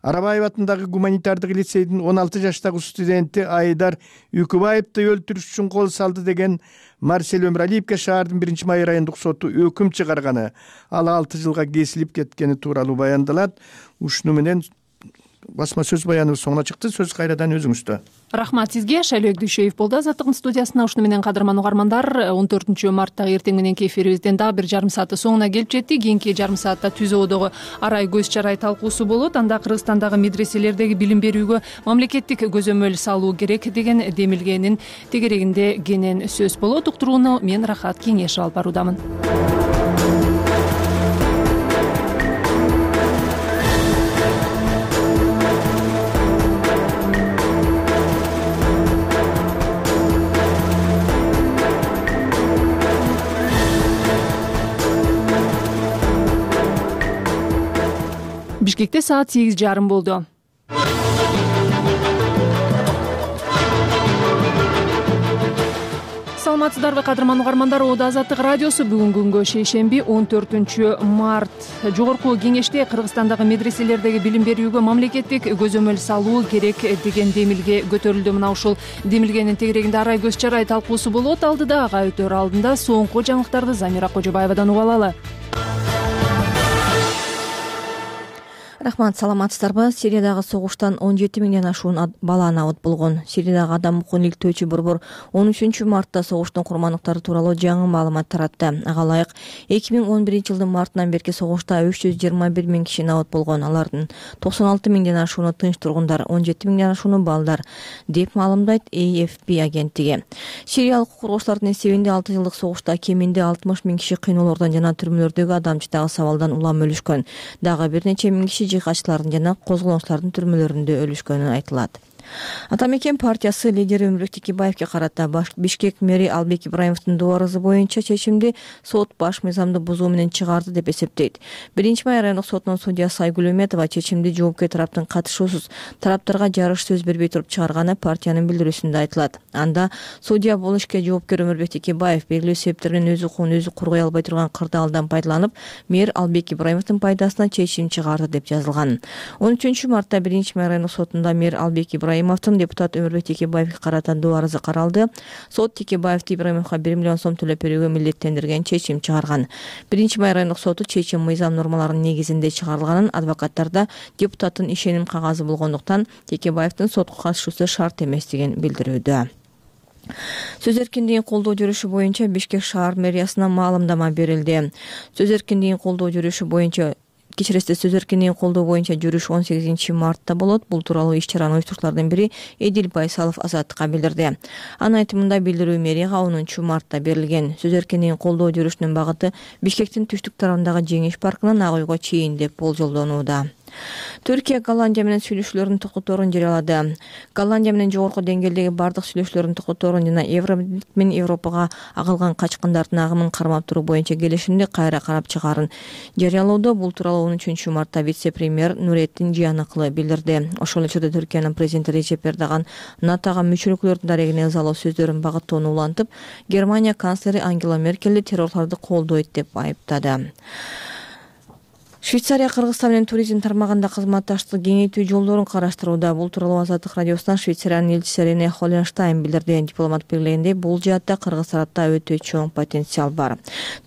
Арабаев атындагы гуманитардык лицейдин 16 жаштагы студенти Айдар Үкүбаевди өлтүрүш үчүн кол салды деген Марсель Өмүралиевге шаардын 1-май райондук соту өкүм чыгарганы, ал 6 жылга кесилип кеткени тууралуу баяндалат. Ушуну менен басма сөз баяныбыз соңуна чыкты. Сөз кайрадан өзүңүздө. Рахмат сизге. Шайлоок Дүйшөев болду Азаттыктын студиясына. Ушуну менен кадырман угармандар, 14 марттагы эртең мененки эфирибизден дагы бир жарым сааты соңуна келип жетти. Кийинки жарым саатта ТүЗОдогу арай көз чарай талкуусу болот. Анда Кыргызстандагы медреселердеги билим берүүгө мамлекеттик көзөмөл салуу керек деген демилгенин тегерегинде кенен сөз болот. Уктурууну мен Рахат Кеңешев алып баруудамын. Бишкекте саат 8:30 болду. Саламатсыздарбы кадырман угармандар, Ода Азаттык радиосу бүгүнкү күнгө шейшемби 14 март. Жогорку кеңеште Кыргызстандагы медреселердеги билим берүүгө мамлекеттик көзөмөл салуу керек деген демилге көтөрүлдү. Мына ушул демилгенин тегерегинде арай көз чарай талкуусу болот. Алдыда ага өтөр алдында соңку жаңылыктарды Замира Кожобаевадан угуп алалы. Рахмат, саламатсыздарбы? Сириядагы согуштан 17 миңден ашуун бала набыт болгон. Сириядагы адам укугун иликтөөчү борбор 13 мартта согуштун курмандыктары тууралуу жаңы маалымат таратты. Ага ылайык 2011 жылдын мартынан берки согушта 321 миң киши набыт болгон. Алардын 96 миңден ашууну тынч тургундар, 17 миңден ашууну балдар, деп маалымдайт AFP агенттиги. Сириялык укук коргоочулардын эсебинде 6 жылдык согушта кеминде 60 миң киши кыйноолордон жана түрмөлөрдөгү адамчыдагы сабалдан улам өлүшкөн. Дагы бир нече миң киши жыйкачылардын жана козголоңчулардын түрмөлөрүндө өлүшкөнү айтылат. Ата мекен партиясы лидери Өмүрбек Текебаевге карата Бишкек мэри Албек Ибраимовдун доо арызы боюнча чечимди сот баш мыйзамды бузуу менен чыгарды деп эсептейт. 1-май райондук сотунун судьясы Айгүл Өметова чечимди жоопкер тараптын катышуусуз тараптарга жарыш сөз бербей туруп чыгарганы партиянын билдирүүсүндө айтылат. Анда судья бул ишке жоопкер Өмүрбек Текебаев белгилүү себептер менен өз укугун өзү коргой албай турган кырдаалдан пайдаланып, мэр Албек Ибраимовдун пайдасына чечим чыгарды деп жазылган. 13 мартта 1-май райондук сотунда мэр Албек Ибраимовдун депутат Өмүрбек Текебаевге карата доо арызы каралды. Сот Текебаевди Ибраимовго 1 миллион сом төлөп берүүгө милдеттендирген чечим чыгарган. 1-май райондук соту чечим мыйзам нормаларынын негизинде чыгарылганын, адвокаттарда депутаттын ишеним кагазы болгондуктан Текебаевдин сотко катышуусу шарт эмес деген билдирүүдө. Сөз эркиндигин колдоо жүрүшү боюнча Бишкек шаар мэриясына маалымдама берилди. Сөз эркиндигин колдоо жүрүшү боюнча сөз эркиндигин колдоо боюнча жүрүш 18 мартта болот. Бул тууралуу иш-чаранын уюштуруучулардын бири Эдил Байсалов Азаттыкка билдирди. Анын айтымында билдирүү мэрияга 10 мартта берилген. Сөз эркиндигин колдоо жүрүшүнүн багыты Бишкектин түштүк тарабындагы Жеңиш паркынан Ак үйгө чейин деп болжолдонууда. Түркия Голландия менен сүйлөшүүлөрдүн токтоторун жарыялады. Голландия менен жогорку деңгээлдеги бардык сүйлөшүүлөрдүн токтоторун жана Евробирлик менен Европага агылган качкындардын агымын кармап туруу боюнча келишимди кайра карап чыгаарын жарыялоодо. Бул тууралуу 13 мартта вице-премьер Нуретдин Жияныкылы билдирди. Ошол эле учурда Түркиянын президенти Режеп Эрдоган НАТОга мүчөлүктөрдүн дарегине ызалуу сөздөрүн багыттоону улантып, Германия канцлери Ангела Меркелди террорлорду колдойт деп айыптады. Швейцария Кыргызстан менен туризм тармагында кызматташтыкты кеңейтүү жолдорун караштырууда. Бул тууралуу Азаттык радиосунан Швейцариянын элчиси Рене Холленштайн билдирди. Дипломат белгилегендей, бул жаатта Кыргыз тарапта өтө чоң потенциал бар.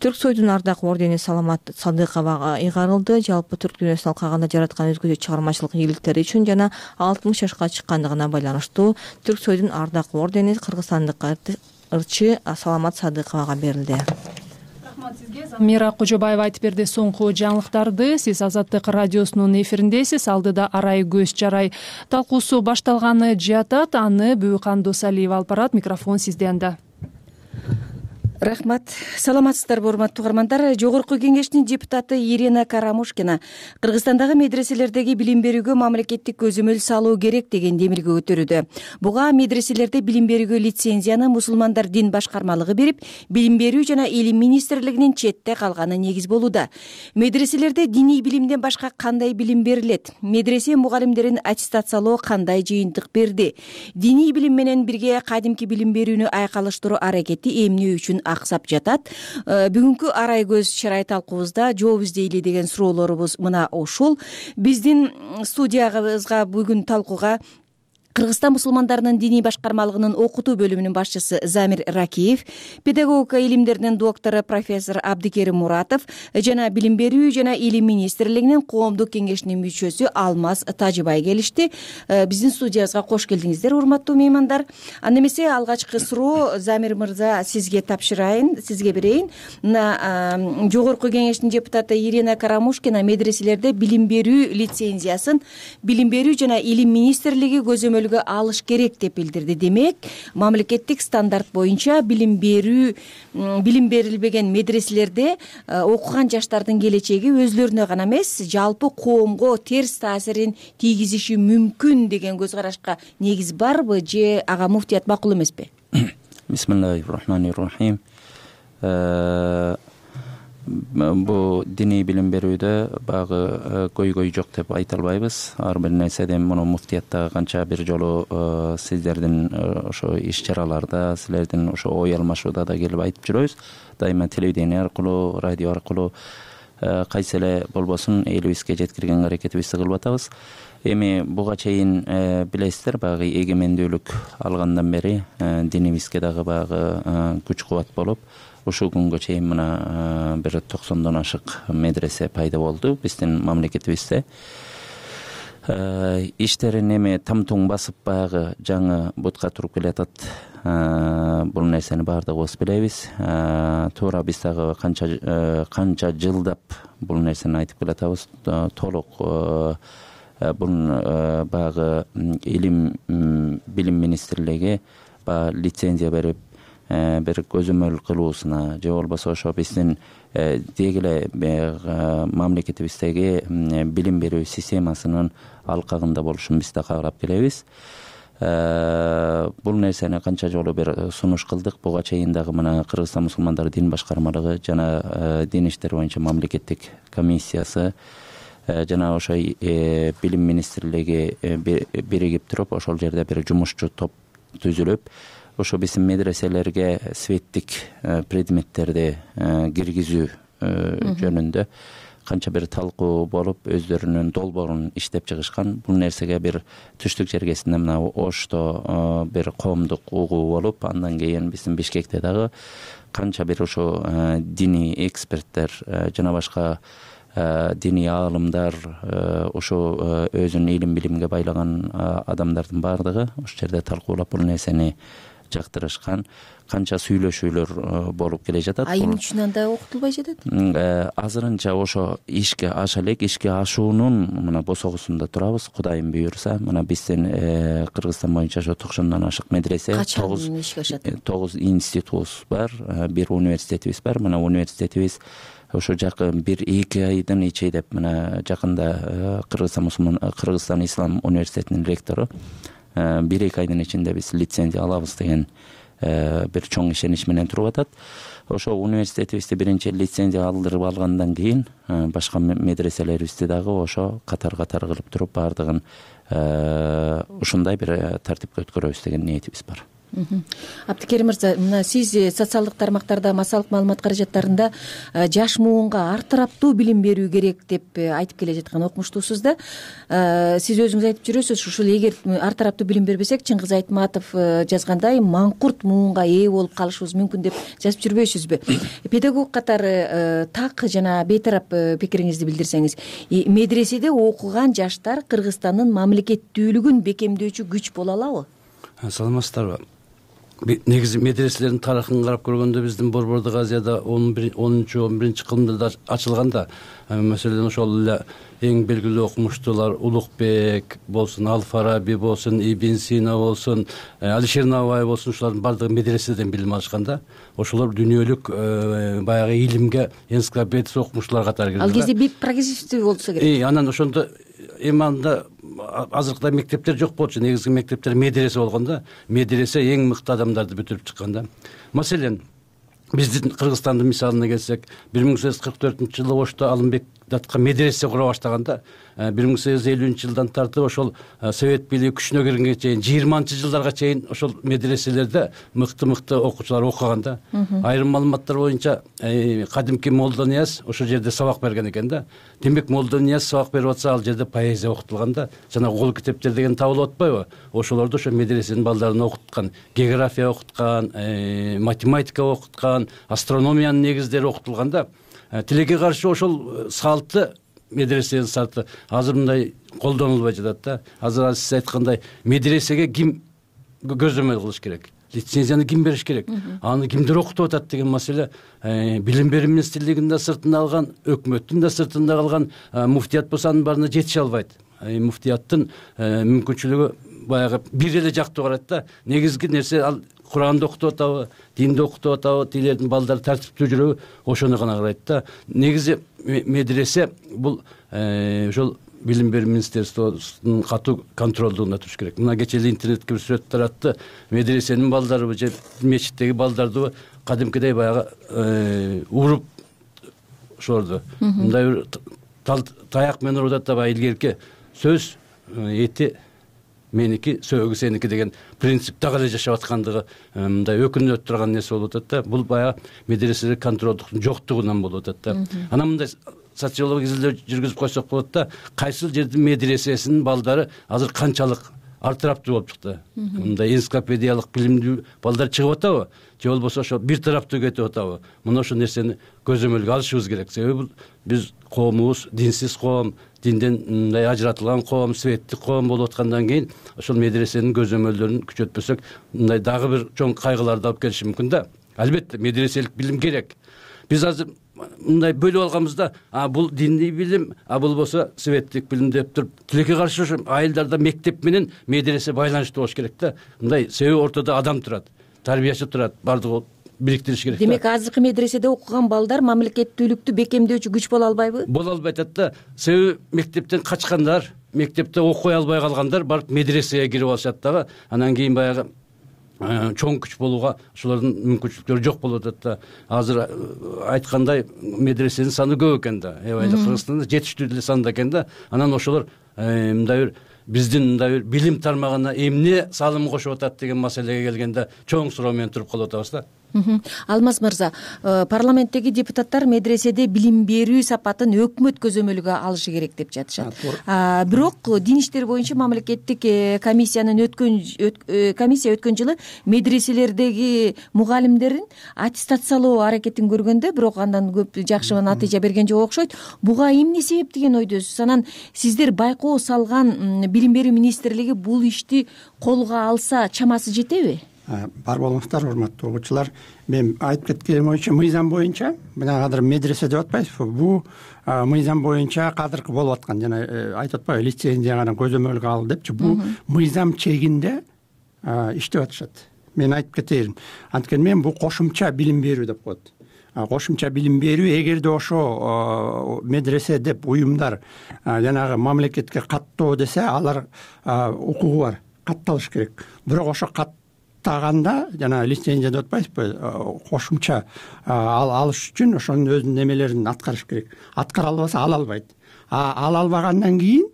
Түрксойдун ардак ордени Саламат Садыковага ыйгарылды. Жалпы түрк дүйнөсүн алкаганда жараткан өзгөчө чыгармачылык ийгиликтери үчүн жана 60 жашка чыккандыгына байланыштуу Түрксойдун ардак ордени кыргызстандык ырчы Саламат Садыковага берилди. Замира Кожобаева айтып берди соңку жаңылыктарды. Сиз Азаттык радиосунун эфириндесиз. Алдыда арай көз чарай талкуусу башталганы жатат. Аны Бүйкан Досалиева алып барат. Микрофон сизде анда. Рахмат. Саламатсыздарбы, урматтуу угармандар. Жогорку кеңештин депутаты Ирина Карамушкина Кыргызстандагы медреселердеги билим берүүгө мамлекеттик көзөмөл салуу керек деген демилге көтөрүүдө. Буга медреселерде билим берүүгө лицензияны мусулмандар дин башкармалыгы берип, билим берүү жана илим министрлигинин четте калганы негиз болууда. Медреселерде диний билимден башка кандай билим берилет? Медресе мугалимдерин аттестациялоо кандай жыйынтык берди? Диний билим менен бирге кадимки билим берүүнү айкалыштыруу аракети эмне үчүн аксап жатат. Бүгүнкү арай көз чырай талкуубузда жооп издейли деген суроолорубуз мына ушул. Биздин студиябызга бүгүн талкууга Кыргызстан мусулмандарынын диний башкармалыгынын окутуу бөлүмүнүн башчысы Замир Ракиев, педагогика илимдеринин доктору профессор Абдикерим Муратов жана Билим берүү жана Илим министрлигинин коомдук кеңешинин мүчөсү Алмаз Тажыбай келишти. Биздин студиябызга кош келдиңиздер, урматтуу меймандар. Анда эмесе алгачкы суроо Замир мырза сизге тапшырайын, сизге берейин. Мына жогорку кеңештин депутаты Ирина Карамушкина медреселерде билим берүү лицензиясын Билим берүү жана Илим министрлиги көзөмөлгө алыш керек деп билдирди. Демек, мамлекеттик стандарт боюнча билим берилбеген медреселерде окуган жаштардын келечеги өзлөрүнө гана эмес, жалпы коомго терс таасирин тийгизиши мүмкүн деген көз карашка негиз барбы же ага муфтият макул эмеспи? Бисмиллахир-рахманир-рахим. Бул диний билим берүүдө багы көйгөй жок деп айта албайбыз. Ар бир нерседен муну муфтияттагы канча бир жолу сиздердин ошо иш-чараларда, силердин ошо ой алмашууда да келип айтып жүрөбүз. Дайыма телевидение аркылуу, радио аркылуу кайсы эле болбосун элибизге жеткирген аракетибизди кылып атабыз. Эми буга чейин билесиздер, баягы эгемендүүлүк алгандан бери динибизге дагы баягы күч кубат болуп, ушул күнгө чейин мына бир 90дон ашык медресе пайда болду биздин мамлекетибизде. Иштерин эми тамтуң басып баягы жаңы бутка туруп келатат. Бул нерсени баардыгыбыз билебиз. Туура биз дагы канча жылдап бул нерсени айтып келатабыз. Толук бул баягы Илим Билим министрлиги лицензия берип бир көзөмөл кылуусуна же болбосо ошо биздин деги эле мамлекетибиздеги билим берүү системасынын алкагында болушун биз да каалап келебиз. Бул нерсени канча жолу бир сунуш кылдык. Буга чейин дагы мына Кыргызстан мусулмандары дин башкармалыгы жана дин иштери боюнча мамлекеттик комиссиясы жана ошо билим министрлиги биригип туруп ошол жерде бир жумушчу топ түзүлүп, ошо биздин медреселерге светтик предметтерди киргизүү жөнүндө канча бир талкуу болуп, өздөрүнүн долбоорун иштеп чыгышкан. Бул нерсеге бир түштүк жергесинде мына Ошто бир коомдук угуу болуп, андан кийин биздин Бишкекте дагы канча бир ошо диний эксперттер жана башка диний аалымдар, ошо өзүнүн илим билимге байлаган адамдардын баардыгы ошол жерде талкуулап бул нерсени жактырышкан. Канча сүйлөшүүлөр болуп келе жатат. Айым үчүн анда окутулбай жатат? Азырынча ошо ишке аша элек, ишке ашуунун мына босогусунда турабыз. Кудайым буйрса, мына биздин Кыргызстан боюнча ошо 90дон ашык медресе, 9 институтубуз бар, бир университетибиз бар. Мына университетибиз ошо жакын 1-2 айдын ичинде мына жакында Кыргызстан Ислам университетинин ректору 1-2 айдын ичинде биз лицензия алабыз деген бир чоң ишенич менен туруп атат. Ошо университетибизди биринчи лицензия алдырып алгандан кийин башка медреселерибизди дагы ошо катар-катар кылып туруп баардыгын ушундай бир тартипке өткөрөбүз деген ниетибиз бар. Абдикерим мырза, мына сиз социалдык тармактарда, массалык маалымат каражаттарында жаш муунга ар тараптуу билим берүү керек деп айтып келе жаткан окумуштуусуз да. Сиз өзүңүз айтып жүрөсүз, ушул эгер ар тараптуу билим бербесек, Чыңгыз Айтматов жазгандай маңкурт муунга ээ болуп калышыбыз мүмкүн деп жазып жүрбөйсүзбү? Педагог катары так жана бейтарап пикириңизди билдирсеңиз. Медреседе окуган жаштар Кыргызстандын мамлекеттүүлүгүн бекемдөөчү күч боло алабы? Саламатсыздарбы? Негизи медреселердин тарыхын карап көргөндө биздин Борбордук Азияда 10-11 кылымдарда ачылган да. Маселен ошол эле эң белгилүү окумуштуулар Улукбек болсун, Ал-Фараби болсун, Ибн Сина болсун, Алишер Наваи болсун, ушулардын баардыгы медреседен билим алышкан да. Ошолор дүйнөлүк баягы илимге энциклопедия окумуштуулар катары кирди. Ал кезде прогрессивдүү болсо керек. Анан ошондо эми анда азыркыдай мектептер жок болчу. Негизги мектептер медресе болгон да. Медресе эң мыкты адамдарды бүтүрүп чыккан да. Маселен, биздин Кыргызстандын мисалына келсек, 1944-жылы Ошто Алымбек жаткан медресе кура баштаганда 1850-жылдан тартып ошол совет бийлиги күчүнө киргенге чейин 20-жылдарга чейин ошол медреселерде мыкты окуучулар окуган да. Айрым маалыматтар боюнча кадимки Молдо Нияз ошол жерде сабак берген экен да. Демек Молдо Нияз сабак берип атса ал жерде поэзия окутулган да. Жана кол китептер деген табылып атпайбы? Ошолорду ошо медресенин балдарын окуткан, география окуткан, математика окуткан, астрономиянын негиздери окутулган да. Тилекке каршы ошол салтты медресенин салты азыр мындай колдонулбай жатат да. Азыр сиз айткандай медресеге ким көзөмөл кылыш керек? Лицензияны ким бериш керек? Аны кимдер окутуп атат деген маселе билим берүү министрлигинин да сыртында калган, өкмөттүн да сыртында калган, муфтият болсо анын баарына жетише албайт. Муфтияттын мүмкүнчүлүгү баягы бир эле жактуу карайт да. Негизги нерсе ал Куранды окутуп атабы, динди окутуп атабы, тилердин балдары тартиптүү жүрөбү, ошону гана карайт да. Негизи медресе бул ошол билим берүү министрлигинин катуу контролдугунда туруш керек. Мына кечээ эле интернетке бир сүрөт таратты. Медресенин балдарыбы же мечиттеги балдарды кадимкидей баягы уруп ошолорду мындай бир таяк менен урут атабы, илгерки сөз эти меники, сөөгү сеники деген принцип дагы эле жашап аткандыгы мындай өкүнүп турган нерсе болуп атат да. Бул баягы медреселер контролдуктун жоктугунан болуп атат да. Анан мындай социологиялык изилдөө жүргүзүп койсок болот да. Кайсыл жердин медресесинин балдары азыр канчалык артыраптуу болуп чыкты. Мындай энциклопедиялык билимдүү балдар чыгып атабы? Же болбосо ошо бир тараптуу кетип атабы? Мына ошол нерсени көзөмөлгө алышыбыз керек. Себеби биз коомубуз динсиз коом, динден мындай ажыратылган коом, светтик коом болуп аткандан кийин ошол медресенин көзөмөлдөрүн күчөтпөсөк, мындай дагы бир чоң кайгыларды алып келиши мүмкүн да. Албетте медреселик билим керек. Биз азыр мындай бөлүп алганбыз да, бул диний билим, болбосо светтик билим деп туруп, тилекке каршы ошо айылдарда мектеп менен медресе байланыштуу болуш керек да. Мындай себеби ортодо адам турат, тарбиячы турат, бардыгы бириктириш керек. Демек азыркы медреседе окуган балдар мамлекеттүүлүктү бекемдөөчү күч боло албайбы? Боло албай атат да. Себеби мектептен качкандар, мектепте окуй албай калгандар барып медресеге кирип алышат дагы. Анан кийин баягы чоң күч болууга ошолордун мүмкүнчүлүктөрү жок болуп атат да. Азыр айткандай медресенин саны көп экен да. Аябай эле Кыргызстанда жетиштүү деле санда экен да. Анан ошолор мындай бир биздин мындай бир билим тармагына эмне салым кошуп атат деген маселеге келгенде чоң суроо менен туруп калып атабыз да. Алмаз мырза, парламенттеги депутаттар медреседе билим берүү сапатын өкмөт көзөмөлгө алышы керек деп жатышат. Бирок дин иштери боюнча мамлекеттик комиссия өткөн жылы медреселердеги мугалимдерин аттестациялоо аракетин көргөндө, бирок андан көп жакшы натыйжа берген жок окшойт. Буга эмне себеп деген ойдосуз? Анан сиздер байкоо салган билим берүү министрлиги бул ишти колго алса чамасы жетеби? Бар болуңуздар, урматтуу окуучулар. Мен айтып кеткеним боюнча мыйзам боюнча мына кадыр медресе деп атпайсызбы? Бул мыйзам боюнча кадыркы болуп аткан, жана айтып атпайбы, лицензияны көзөмөлгө ал депчи. Бул мыйзам чегинде иштеп атышат. Мен айтып кетейин. Анткени мен бул кошумча билим берүү деп коет. Кошумча билим берүү, эгерде ошо медресе деп уюмдар жанагы мамлекетке каттоо десе, алар укугу бар, катталыш керек. Бирок ошо каттаганда жана лицензия деп атпайсызбы, кошумча алыш үчүн ошонун өзүнүн немелерин аткарыш керек. Аткара албаса ала албайт. Ала албагандан кийин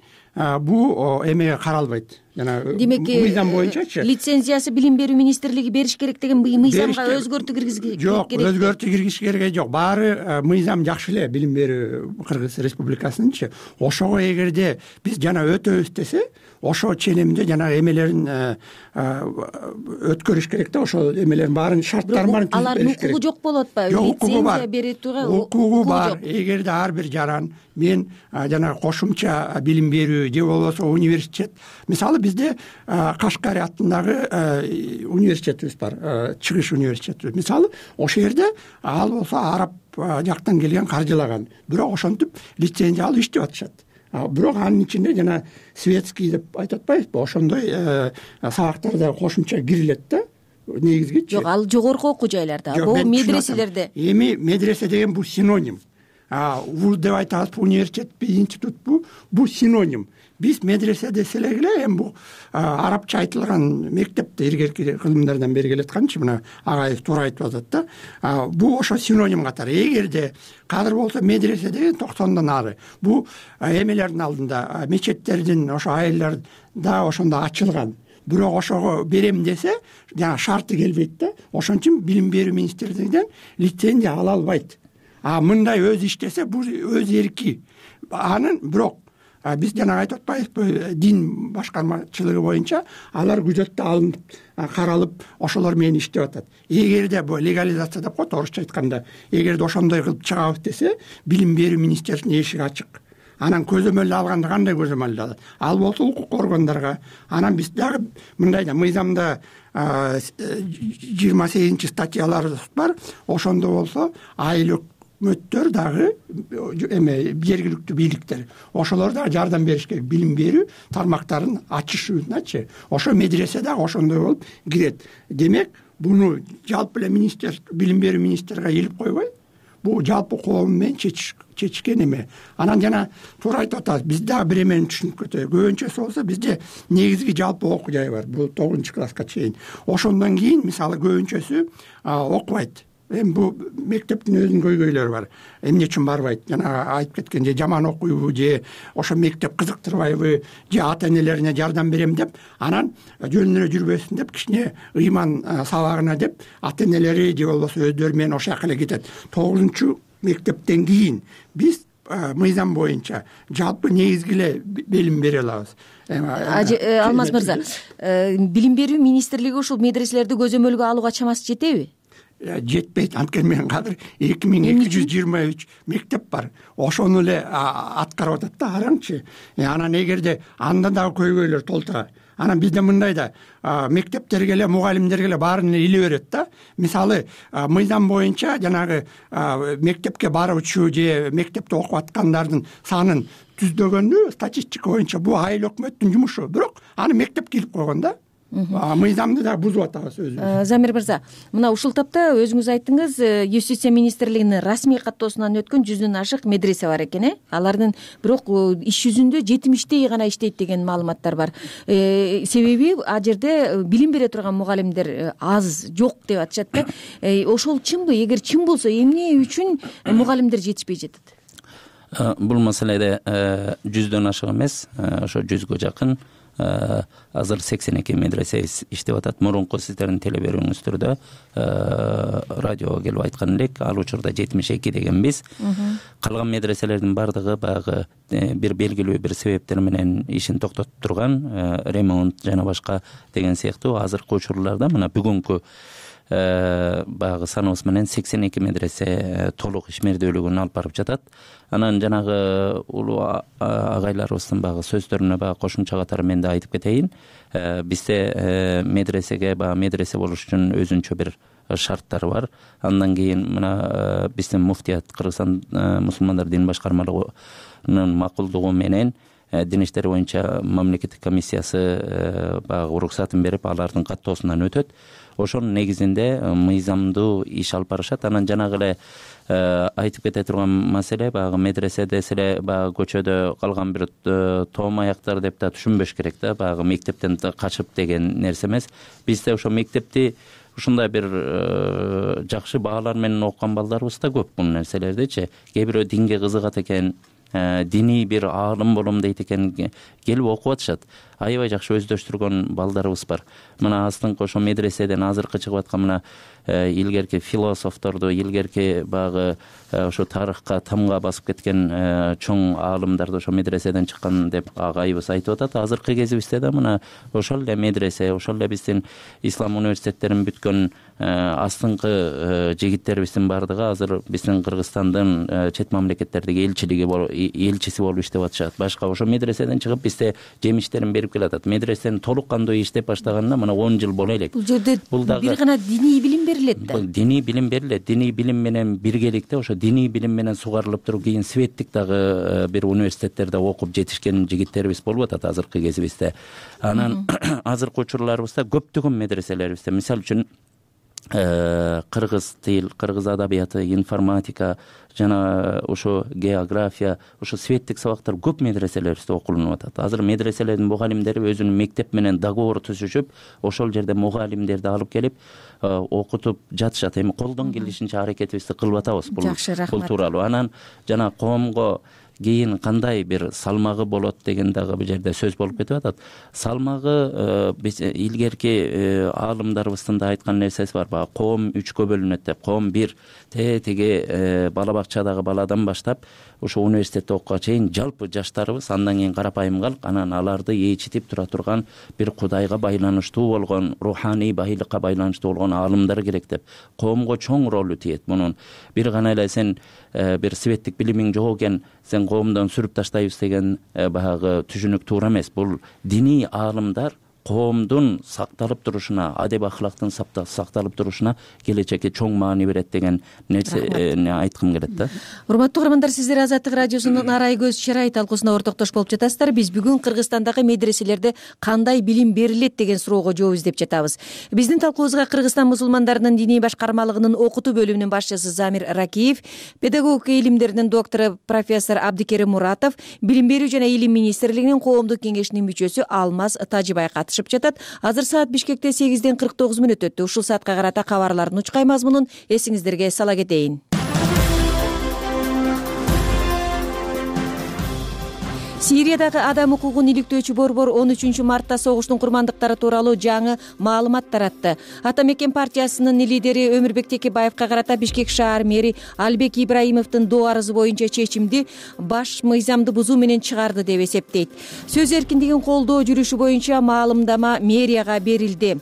бул эмеге каралбайт. Демек, мыйзам боюнчачы лицензиясы билим берүү министрлиги бериш керек деген мыйзамга өзгөртүү киргизиш керек? Жок, өзгөртүү киргизиш кереги жок. Баары мыйзам жакшы эле билим берүү Кыргыз Республикасынынчы. Ошого эгерде биз жана өтөбүз десе, ошо ченемде жанагы эмелерин өткөрүш керек да, ошо эмелердин баарын шарттарын баарын түзүп бериш керек. Алардын укугу жок болуп атпайбы? Лицензия бере турган укугу бар. Эгерде ар бир жаран мен жанагы кошумча билим берүү же болбосо университет, мисалы бизде Кашкари атындагы университетибиз бар, чыгыш университети. Мисалы ошол жерде ал болсо араб жактан келген каржылаган, бирок ошентип лицензия алып иштеп атышат. Бирок анын ичинде жана светский деп айтып атпайбызбы, ошондой сабактарда кошумча кирилет да, негизгичи. Жок, ал жогорку окуу жайларда, бул медреселерде. Эми медресе деген бул синоним. вуз деп айтабыз, университетпи, институтпу, бул синоним. Биз медресе десек эле эми бул арабча айтылган мектепте илгерки кылымдардан бери келатканчы, мына агайыбыз туура айтып атат да. Бул ошо синоним катары. Эгерде кадыр болсо медресе деген 90-дан ары. Бул эмелердин алдында, мечеттердин ошо айылдар да ошондо ачылган. Бирок ошого берем десе, жана шарты келбейт да. Ошон үчүн билим берүү министрлигинен лицензия ала албайт. Мындай өз иштесе бул өз эрки. Анын бирок биз жана айтып атпайбызбы, дин башкармачылыгы боюнча алар күзөттө алынып, каралып, ошолор менен иштеп атат. Эгерде бул легализация деп коет орусча айтканда, эгерде ошондой кылып чыгабыз десе, билим берүү министрлигинин эшиги ачык. Анан көзөмөл алганда кандай көзөмөл алат? Ал болсо укук органдарга. Анан биз дагы мындай да мыйзамда 28 статьялар бар. Ошондо болсо айыл өкмөттөр дагы жергиликтүү бийликтер ошолор дагы жардам бериш керек. Билим берүү тармактарын ачышуunaчы. Ошо медресе дагы ошондой болуп кирет. Демек, буну жалпы эле билим берүү министрге илип койбой, бул жалпы коом менен чечишкен эме. Анан жана туура айтып атабыз, биз дагы бир эмени түшүнүп кетели. Көбүнчөсү болсо бизде негизги жалпы окуу жай бар. Бул 9-класска чейин. Ошондон кийин мисалы көбүнчөсү окубайт. Эми бул мектептин өзүнүн көйгөйлөрү бар. Эмне үчүн барбайт? Жана айтып кеткен, же жаман окуйбу, же ошо мектеп кызыктырбайбы, же ата-энелерине жардам берем деп, анан жөнүнө эле жүрбөсүн деп, кичине ыйман сабагына деп, ата-энелери же болбосо өздөрү менен ошол жака эле кетет. 9-мектептен кийин биз мыйзам боюнча жалпы негизги эле билим бере алабыз. Алмаз мырза, билим берүү министрлиги ушул медреселерди көзөмөлгө алууга чамасы жетеби? Жетпейт. Анткени менин кадыр 2223 мектеп бар. Ошону эле аткарып атат да, араңчы. Анан эгерде анда дагы көйгөйлөр толтура. Анан бизде мындай да мектептерге эле, мугалимдерге эле баарын эле иле берет да. Мисалы, мыйзам боюнча жанагы мектепке баруучу же мектепте окуп аткандардын санын түздөгөндү статистика боюнча бул айыл өкмөттүн жумушу. Бирок аны мектепке илип койгон да. Мыйзамды да бузуп атабыз өзүбүз. Замир мырза, мына ушул тапта өзүңүз айттыңыз, Юстиция министрлигинин расмий каттоосунан өткөн 100дөн ашык медресе бар экен, Алардын бирок иш жүзүндө 70 гана иштейт деген маалыматтар бар. Себеби а жерде билим бере турган мугалимдер аз, жок деп атышат да. Ошол чынбы? Эгер чын болсо, эмне үчүн мугалимдер жетишпей жатат? Бул маселеде 100дөн ашык эмес, ошо 100гө жакын азыр 82 медресе иштеп атат. Мурунку сиздердин теле берүүңүздөрдө радиого келип айткан элек, ал учурда 72 дегенбиз. Калган медреселердин бардыгы баягы бир белгилүү бир себептер менен ишин токтотуп турган, ремонт жана башка деген сыяктуу. Азыркы учурларда мына бүгүнкү баягы саныбыз менен 82 медресе толук ишмердүүлүгүн алып барып жатат. Анан жанагы улуу агайларыбыздын баягы сөздөрүнө баягы кошумча катары мен да айтып кетейин. Бизде медресеге баягы медресе болуш үчүн өзүнчө бир шарттары бар. Андан кийин мына биздин муфтият, Кыргызстан мусулмандар дин башкармалыгынын макулдугу менен дин иштери боюнча мамлекеттик комиссиясы баягы уруксатын берип, алардын каттоосунан өтөт. Ошонун негизинде мыйзамдуу иш алып барышат. Анан жанагы эле айтып кете турган маселе, баягы медресе деселе баягы көчөдө калган бир тоом аяктар деп да түшүнбөш керек да, баягы мектептен качып деген нерсе эмес. Бизде ошо мектепти ушундай бир жакшы баалар менен окуган балдарыбыз да көп бул нерселердичи. Кээ бирөө динге кызыгат экен, диний бир аалым болом дейт экен, келип окуп атышат. Аябай жакшы өздөштүргөн балдарыбыз бар. Мына астыңкы ошо медреседен азыркы чыгып аткан мына илгерки философторду, илгерки баягы ошо тарыхка тамга басып кеткен чоң аалымдарды ошо медреседен чыккан деп агайыбыз айтып атат. Азыркы кезибизде да мына ошол эле медресе, ошол эле биздин ислам университеттерин бүткөн астыңкы жигиттерибиздин бардыгы азыр биздин Кыргызстандын чет мамлекеттердеги элчиси болуп иштеп атышат. Башка ошо медреседен чыгып бизде жемиштерин берип келатат. Медресенин толук кандуу иштеп баштаганына мына 10 жыл боло элек. Бул жерде бир гана диний билим берилет да. Диний билим берилет. Диний билим менен биргеликте ошо диний билим менен сугарылып туруп кийин светтик дагы бир университеттерде окуп жетишкен жигиттерибиз болуп атат азыркы кезибизде. Анан азыркы учурларыбызда көптөгөн медреселерибизде, мисалы үчүн кыргыз тил, кыргыз адабияты, информатика жана ошо география, ошо светтик сабактар көп медреселерибизде окулунуп атат. Азыр медреселердин мугалимдери өзүнүн мектеп менен договор түзүшүп, ошол жерде мугалимдерди алып келип окутуп жатышат. Эми колдон келишинче аракетибизди кылып атабыз бул тууралуу. Анан жана коомго кийин кандай бир салмагы болот деген дагы бул жерде сөз болуп кетип атат. Салмагы биз илгерки аалымдарыбыздын да айткан нерсеси бар. Баягы коом 3кө бөлүнөт деп. Коом 1 теги бала бакчадагы баладан баштап ошо университетте окууга чейин жалпы жаштарыбыз, андан кийин карапайым калк, анан аларды ээчитип тура турган бир кудайга байланыштуу болгон, руханий байлыкка байланыштуу болгон аалымдар керек деп. Коомго чоң ролу тиет мунун. Бир гана эле сен бир светтик билимиң жок экен, сен коомдон сүрүп таштайбыз деген баягы түшүнүк туура эмес. Бул диний аалымдар коомдун сакталып турушуна, адеп ахлактын сакталып турушуна келечекке чоң маани берет деген нерсени айткым келет да. Урматтуу угармандар, сиздер Азаттык радиосунун Арай көз чырай талкуусуна ортоктош болуп жатасыздар. Биз бүгүн Кыргызстандагы медреселерде кандай билим берилет деген суроого жооп издеп жатабыз. Биздин талкуубузга Кыргызстан мусулмандарынын диний башкармалыгынын окутуу бөлүмүнүн башчысы Замир Ракиев, педагогика илимдеринин доктору профессор Абдикерим Муратов, билим берүү жана илим министрлигинин коомдук кеңешинин мүчөсү Алмаз Тажибай жатат. Азыр саат Бишкекте 8:49 өттү. Ушул саатка карата кабарлардын учкай мазмунун эсиңиздерге сала кетейин. Сириядагы адам укугун иликтөөчү борбор 13 мартта согуштун курмандыктары тууралуу жаңы маалымат таратты. Ата мекен партиясынын лидери Өмүрбек Текебаевка карата Бишкек шаар мэри Албек Ибраимовдун доо арызы боюнча чечимди баш мыйзамды бузуу менен чыгарды деп эсептейт. Сөз эркиндигин колдоо жүрүшү боюнча маалымдама мэрияга берилди.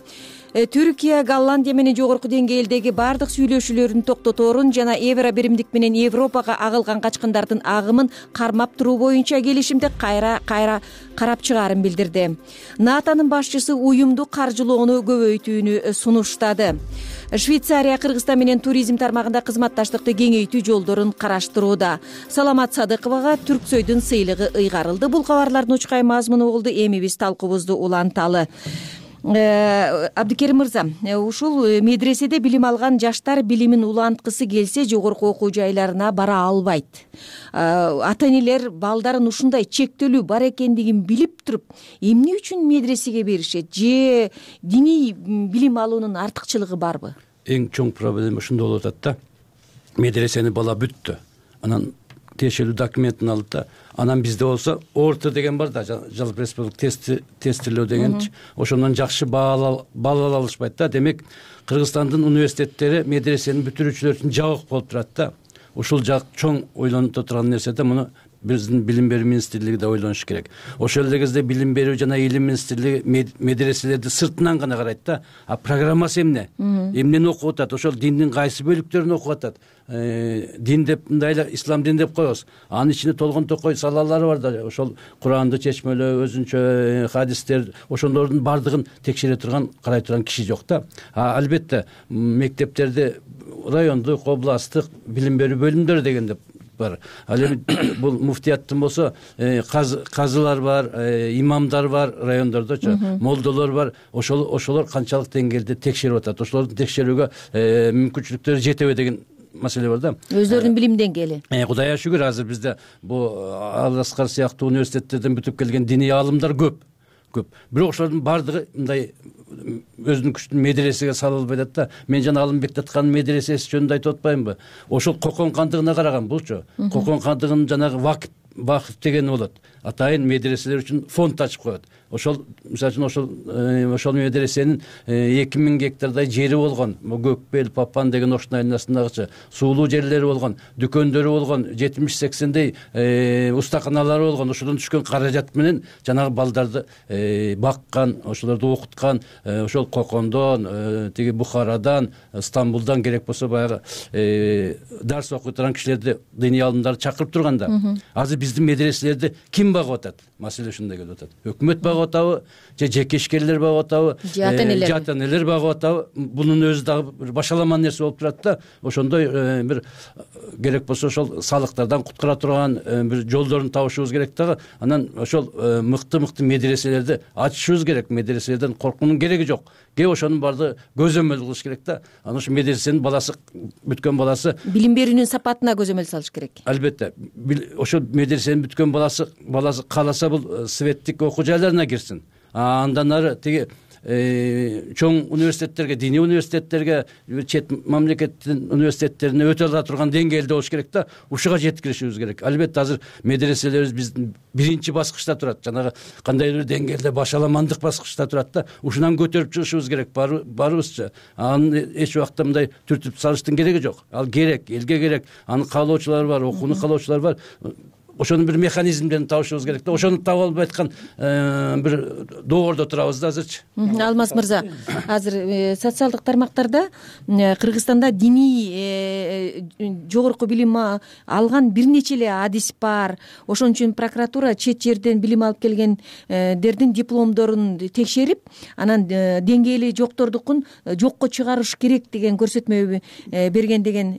Түркия Голландия менен жогорку деңгээлдеги бардык сүйлөшүүлөрүн токтоторун жана евро биримдик менен Европага агылган качкындардын агымын кармап туруу боюнча келишимди кайра карап чыгаарын билдирди. НАТОнун башчысы уюмду каржылоону көбөйтүүнү сунуштады. Швейцария Кыргызстан менен туризм тармагында кызматташтыкты кеңейтүү жолдорун караштырууда. Саламат Садыковага Түрксөйдүн сыйлыгы ыйгарылды. Бул кабарлардын учкай мазмуну болду. Эми биз талкуубузду уланталы. Абдикерим мырза, ушул медреседе билим алган жаштар билимин уланткысы келсе жогорку окуу жайларына бара албайт. Ата-энелер балдарын ушундай чектөлүү бар экендигин билип туруп, эмне үчүн медресеге беришет? Же диний билим алуунун артыкчылыгы барбы? Эң чоң проблема ушунда болуп атат да. Медресени бала бүттү. Анан тиешелүү документин алды да, анан бизде болсо орто деген бар да, жалпы республика тестилөө дегенчи, ошондон жакшы баал ала алышпайт да. Демек Кыргызстандын университеттери медресенин бүтүрүүчүлөр үчүн жабык болуп турат да. Ушул жак чоң ойлонуп турган нерсе да. Муну биздин билим берүү министрлиги да ойлонуш керек. Ошол эле кезде билим берүү жана илим министрлиги медреселерди сыртынан гана карайт да. А программасы эмне? Эмнени окуп атат? Ошол диндин кайсы бөлүктөрүн окуп атат? Дин деп мындай эле ислам дин деп коебуз. Анын ичинде толгон токой салалары бар да. Ошол Куранды чечмелөө, өзүнчө хадистер, ошолордун бардыгын текшере турган, карай турган киши жок да. Албетте мектептерде райондук, областтык билим берүү бөлүмдөрү деген деп бар. Ал эми бул муфтияттын болсо казылар бар, имамдар бар райондордочу, молдолор бар. Ошолор канчалык деңгээлде текшерип атат? Ошолордун текшерүүгө мүмкүнчүлүктөрү жетеби деген маселе бар да. Өздөрүнүн билим деңгээли. Кудайга шүгүр, азыр бизде бул Ал-Аскар сыяктуу университеттерден бүтүп келген диний аалымдар көп. Бирок ошолордун бардыгы мындай өзүнүн күчүн медресеге сала албай атат да. Мен жана Алымбек Таткандын медресеси жөнүндө айтып атпаймынбы? Ошол Кокон кандыгына караган булчу. Кокон кандыгынын жанагы вакыф дегени болот. Атайын медреселер үчүн фонд ачып коет. Ошол мисалы үчүн ошол медресенин 2000 гектардай жери болгон. Көкбел, Папан деген оштун айыласындагычы суулуу жерлери болгон, дүкөндөрү болгон, 70-80дей устаканалары болгон. Ошодон түшкөн каражат менен жанагы балдарды баккан, ошолорду окуткан, ошол Кокондон, тиги Бухарадан, Стамбулдан керек болсо баягы дарс окуй турган кишилерди, диний аалымдарды чакырып турган да. Азыр биздин медреселерди ким багып атат? Маселе ушундай келип атат. Өкмөт багып атабы, же жеке ишкерлер багып атабы, же ата-энелер багып атабы? Бунун өзү дагы бир башаламан нерсе болуп турат да. Ошондой бир керек болсо ошол салыктардан куткара турган бир жолдорун табышыбыз керек дагы. Анан ошол мыкты медреселерди ачышыбыз керек. Медреселерден коркуунун кереги жок. кээ ошонун баардыгы көзөмөл кылыш керек да. Анан ушу медресенин баласы бүткөн баласы билим берүүнүн сапатына көзөмөл салыш керек. Албетте ошо медресени бүткөн баласы кааласа бул светтик окуу жайларына кирсин. Андан ары тиги чоң университеттерге, диний университеттерге, чет мамлекеттин университеттерине өтө ала турган деңгээлде болуш керек да. Ушуга жеткиришибиз керек. Албетте азыр медреселерибиз биздин биринчи баскычта турат. Жанагы кандайдыр бир деңгээлде башаламандык баскычта турат да. Ушунан көтөрүп чыгышыбыз керек барыбызча. Аны эч убакта мындай түртүп салыштын кереги жок. Ал керек, элге керек. Аны каалоочулар бар, окууну каалоочулар бар. Ошонун бир механизмдерин табышыбыз керек да. Ошону таба албай аткан бир доордо турабыз да азырчы. Алмаз мырза, азыр социалдык тармактарда Кыргызстанда диний жогорку билим алган бир нече эле адис бар. Ошон үчүн прокуратура чет жерден билим алып келгендердин дипломдорун текшерип, анан деңгээли жоктордукун жокко чыгарыш керек деген көрсөтмө берген деген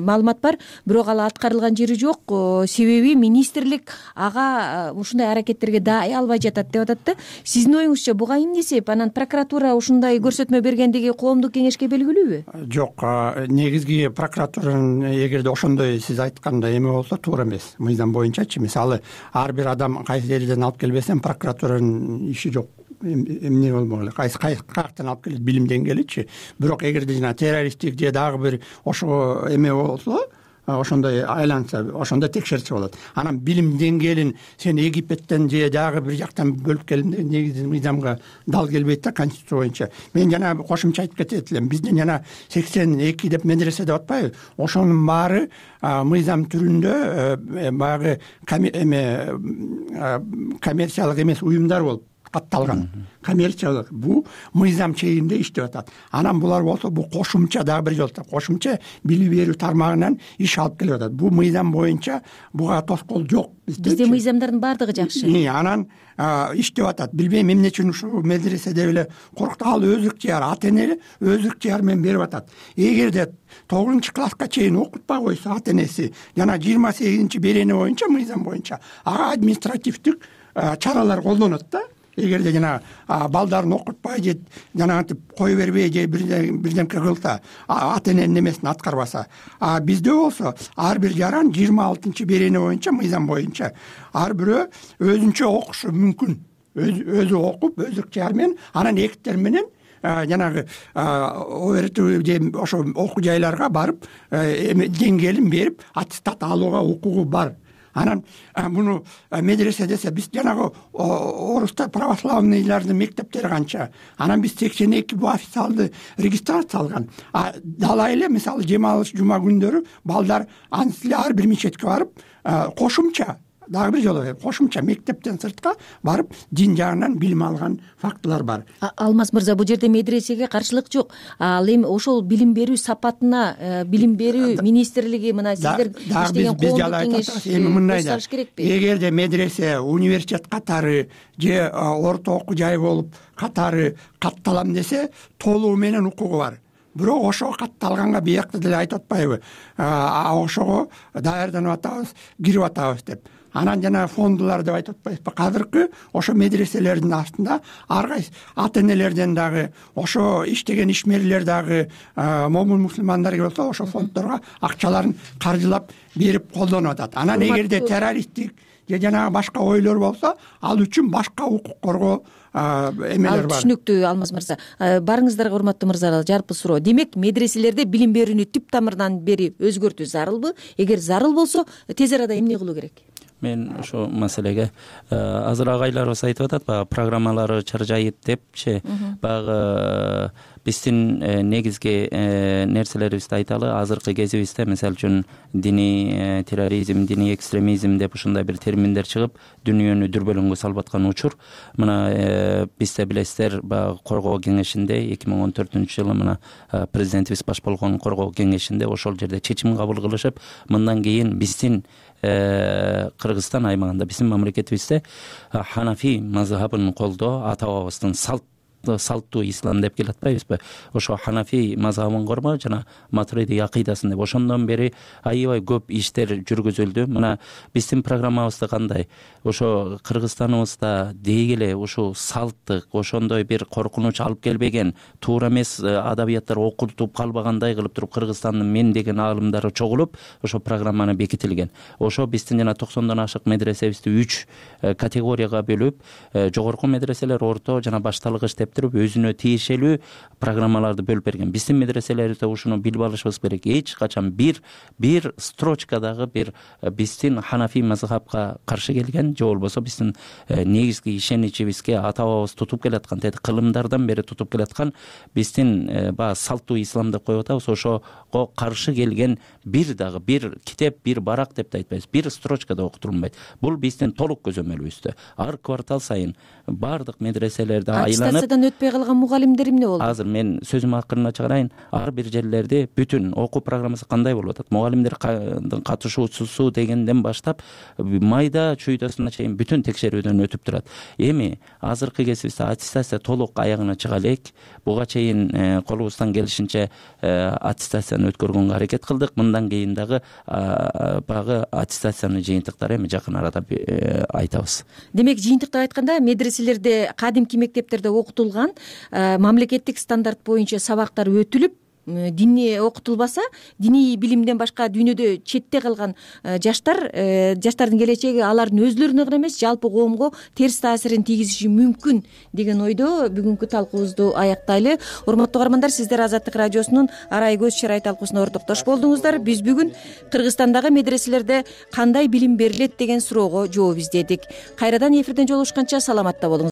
маалымат бар. Бирок ал аткарылган жери жок. Себеби министрлик ага ушундай аракеттерге даай албай жатат деп атат да. Сиздин оюңузча буга эмне себеп? Анан прокуратура ушундай көрсөтмө бергендиги коомдук кеңешке белгилүүбү? Жок, негизги прокуратуранын эгерде ошондой сиз айткандай эме болсо туура эмес. Мыйзам боюнчачы, мисалы ар бир адам кайсы элден алып келбесем прокуратуранын иши жок. Эмне болмок эле, кайсы каяктан алып келет билим деңгээличи. Бирок эгерде жана террористтик же дагы бир ошого эме болсо, ошондой айланса, ошондо текшерсе болот. Анан билим деңгээлин сен Египеттен же дагы бир жактан бөлүп келгенде негизи мыйзамга дал келбейт да, конституция боюнча. Мен жана кошумча айтып кетет элем. Биздин жана 82 деп медресе деп атпайбы? Ошонун баары мыйзам түрүндө баягы коммерциялык эмес уюмдар болуп катталган. Коммерциялык бул мыйзам чегинде иштеп атат. Анан булар болсо бул кошумча дагы бир жолу кошумча билим берүү тармагынан иш алып келип атат. Бул мыйзам боюнча буга тоскоол жок. Бизде мыйзамдардын баардыгы жакшы. Анан иштеп атат. Билбейм эмне үчүн ушул медреседе эле коркуп ал өз ыктыяры, ата эне өз ыктыяры менен берип атат. Эгерде 9-класска чейин окутпай койсо ата энеси жана 28-берене боюнча мыйзам боюнча ага административдик чаралар колдонот да. Эгерде жана балдарын окутпай же жанагынтип кое бербей же бирдемке кылса, ата эненин эмесин аткарбаса. Бизде болсо ар бир жаран 26-берене боюнча мыйзам боюнча ар бирөө өзүнчө окушу мүмкүн. Өзү окуп, өз ыктыяры менен, анан эктер менен жанагы ОРТ же ошо окуу жайларга барып деңгээлин берип аттестат алууга укугу бар. Анан муну медресе десе биз жанагы орусда православныйлардын мектептери канча. Анан биз 82 бу официалдуу регистрация алган. Далай эле мисалы жема алыш жума күндөрү балдар анысы эле ар бир мечетке барып кошумча дагы бир жолу кошумча мектептен сыртка барып дин жагынан билим алган фактылар бар. Алмаз мырза, бул жерде медресеге каршылык жок. Ал эми ошол билим берүү сапатына билим берүү министрлиги мына сиздер иштеген коомдук кеңеш эми мындай да. Эгерде медресе университет катары же орто окуу жай болуп катары катталам десе, толугу менен укугу бар. Бирок ошого катталганга биякта деле айтып атпайбы? Ошого даярданып атабыз, кирип атабыз деп. Анан жана фондулар деп айтып атпайбызбы? Азыркы ошо медреселердин астында ар кайсы ата энелерден дагы, ошо иштеген ишмерлер дагы момун мусулмандар болсо ошо фонддорго акчаларын каржылап берип колдонуп атат. Анан эгерде террористтик же жанагы башка ойлор болсо, ал үчүн башка укук коргоо эмелер бар. Түшүнүктүү Алмаз мырза. Барыңыздарга урматтуу мырзалар, жарпы суроо. Демек, медреселерде билим берүүнү түп тамырынан бери өзгөртүү зарылбы? Эгер зарыл болсо, тез арада эмне кылуу керек? Мен ошо маселеге азыр агайларыбыз айтып атат, баягы программалары чаржайып депчи, баягы биздин негизги нерселерибизди айталы. Азыркы кезибизде мисалы үчүн диний терроризм, диний экстремизм деп ушундай бир терминдер чыгып, дүйнөнү дүрбөлөңгө салып аткан учур. Мына бизде билесиздер, баягы коргоо кеңешинде 2014-жылы мына президентибиз баш болгон коргоо кеңешинде ошол жерде чечим кабыл кылышып, мындан кийин биздин Кыргызстан аймагында, биздин мамлекетибизде Ханафи мазхабын колдоо ата бабабыздын салт салттуу ислам деп келатпайбызбы, ошо ханафи мазабын кормо жана матуриди акыйдасын деп ошондон бери аябай көп иштер жүргүзүлдү. Мына биздин программабызда кандай, ошо Кыргызстаныбызда деги эле ушул салттык ошондой бир коркунуч алып келбеген, туура эмес адабияттар окутуп калбагандай кылып туруп Кыргызстандын мен деген аалымдары чогулуп ошо программаны бекитилген. Ошо биздин жана 90дон ашык медресебизди 3 категорияга бөлүп, жогорку медреселер, орто жана башталгыч деп туруп өзүнө тиешелүү программаларды бөлүп берген. Биздин медреселерибизде ушуну билип алышыбыз керек. Эч качан бир строчкадагы бир биздин ханафи мазхабка каршы келген же болбосо биздин негизги ишеничибизге ата-бабабыз тутуп келаткан, кылымдардан бери тутуп келаткан биздин баягы салттуу ислам деп коюп атабыз, ошого каршы келген бир дагы бир китеп, бир барак деп да айтпайбыз, бир строчкада окутулбайт. Бул биздин толук көзөмөлүбүздө. Ар квартал сайын баардык медреселерди айланып, аттестациядан өтпөй калган мугалимдер эмне болду? Азыр мен сөзүмдүн акырына чыгарайын. Ар бир жерлерде бүтүн окуу программасы кандай болуп атат, мугалимдердин катышуусу дегенден баштап майда чуйдасына чейин бүтүн текшерүүдөн өтүп турат. Эми азыркы кезибизде аттестация толук аягына чыга элек. Буга чейин колубуздан келишинче аттестацияны өткөргөнгө аракет кылдык. Мындан кийин дагы баягы аттестациянын жыйынтыктары эми жакын арада айтабыз. Демек, жыйынтыктап айтканда, медреселерде, кадимки мектептерде окутулган мамлекеттик стандарт боюнча сабактар өтүлүп, дини окутулбаса, диний билимден башка дүйнөдө четте калган жаштардын келечеги алардын өзлөрүнө гана эмес, жалпы коомго терс таасирин тийгизиши мүмкүн деген ойдо бүгүнкү талкуубузду аяктайлы. Урматтуу угармандар, сиздер Азаттык радиосунун Арай көз чырай талкуусуна ортоктош болдуңуздар. Биз бүгүн Кыргызстандагы медреселерде кандай билим берилет деген суроого жооп издедик. Кайрадан эфирден жолугушканча саламатта болуңуз.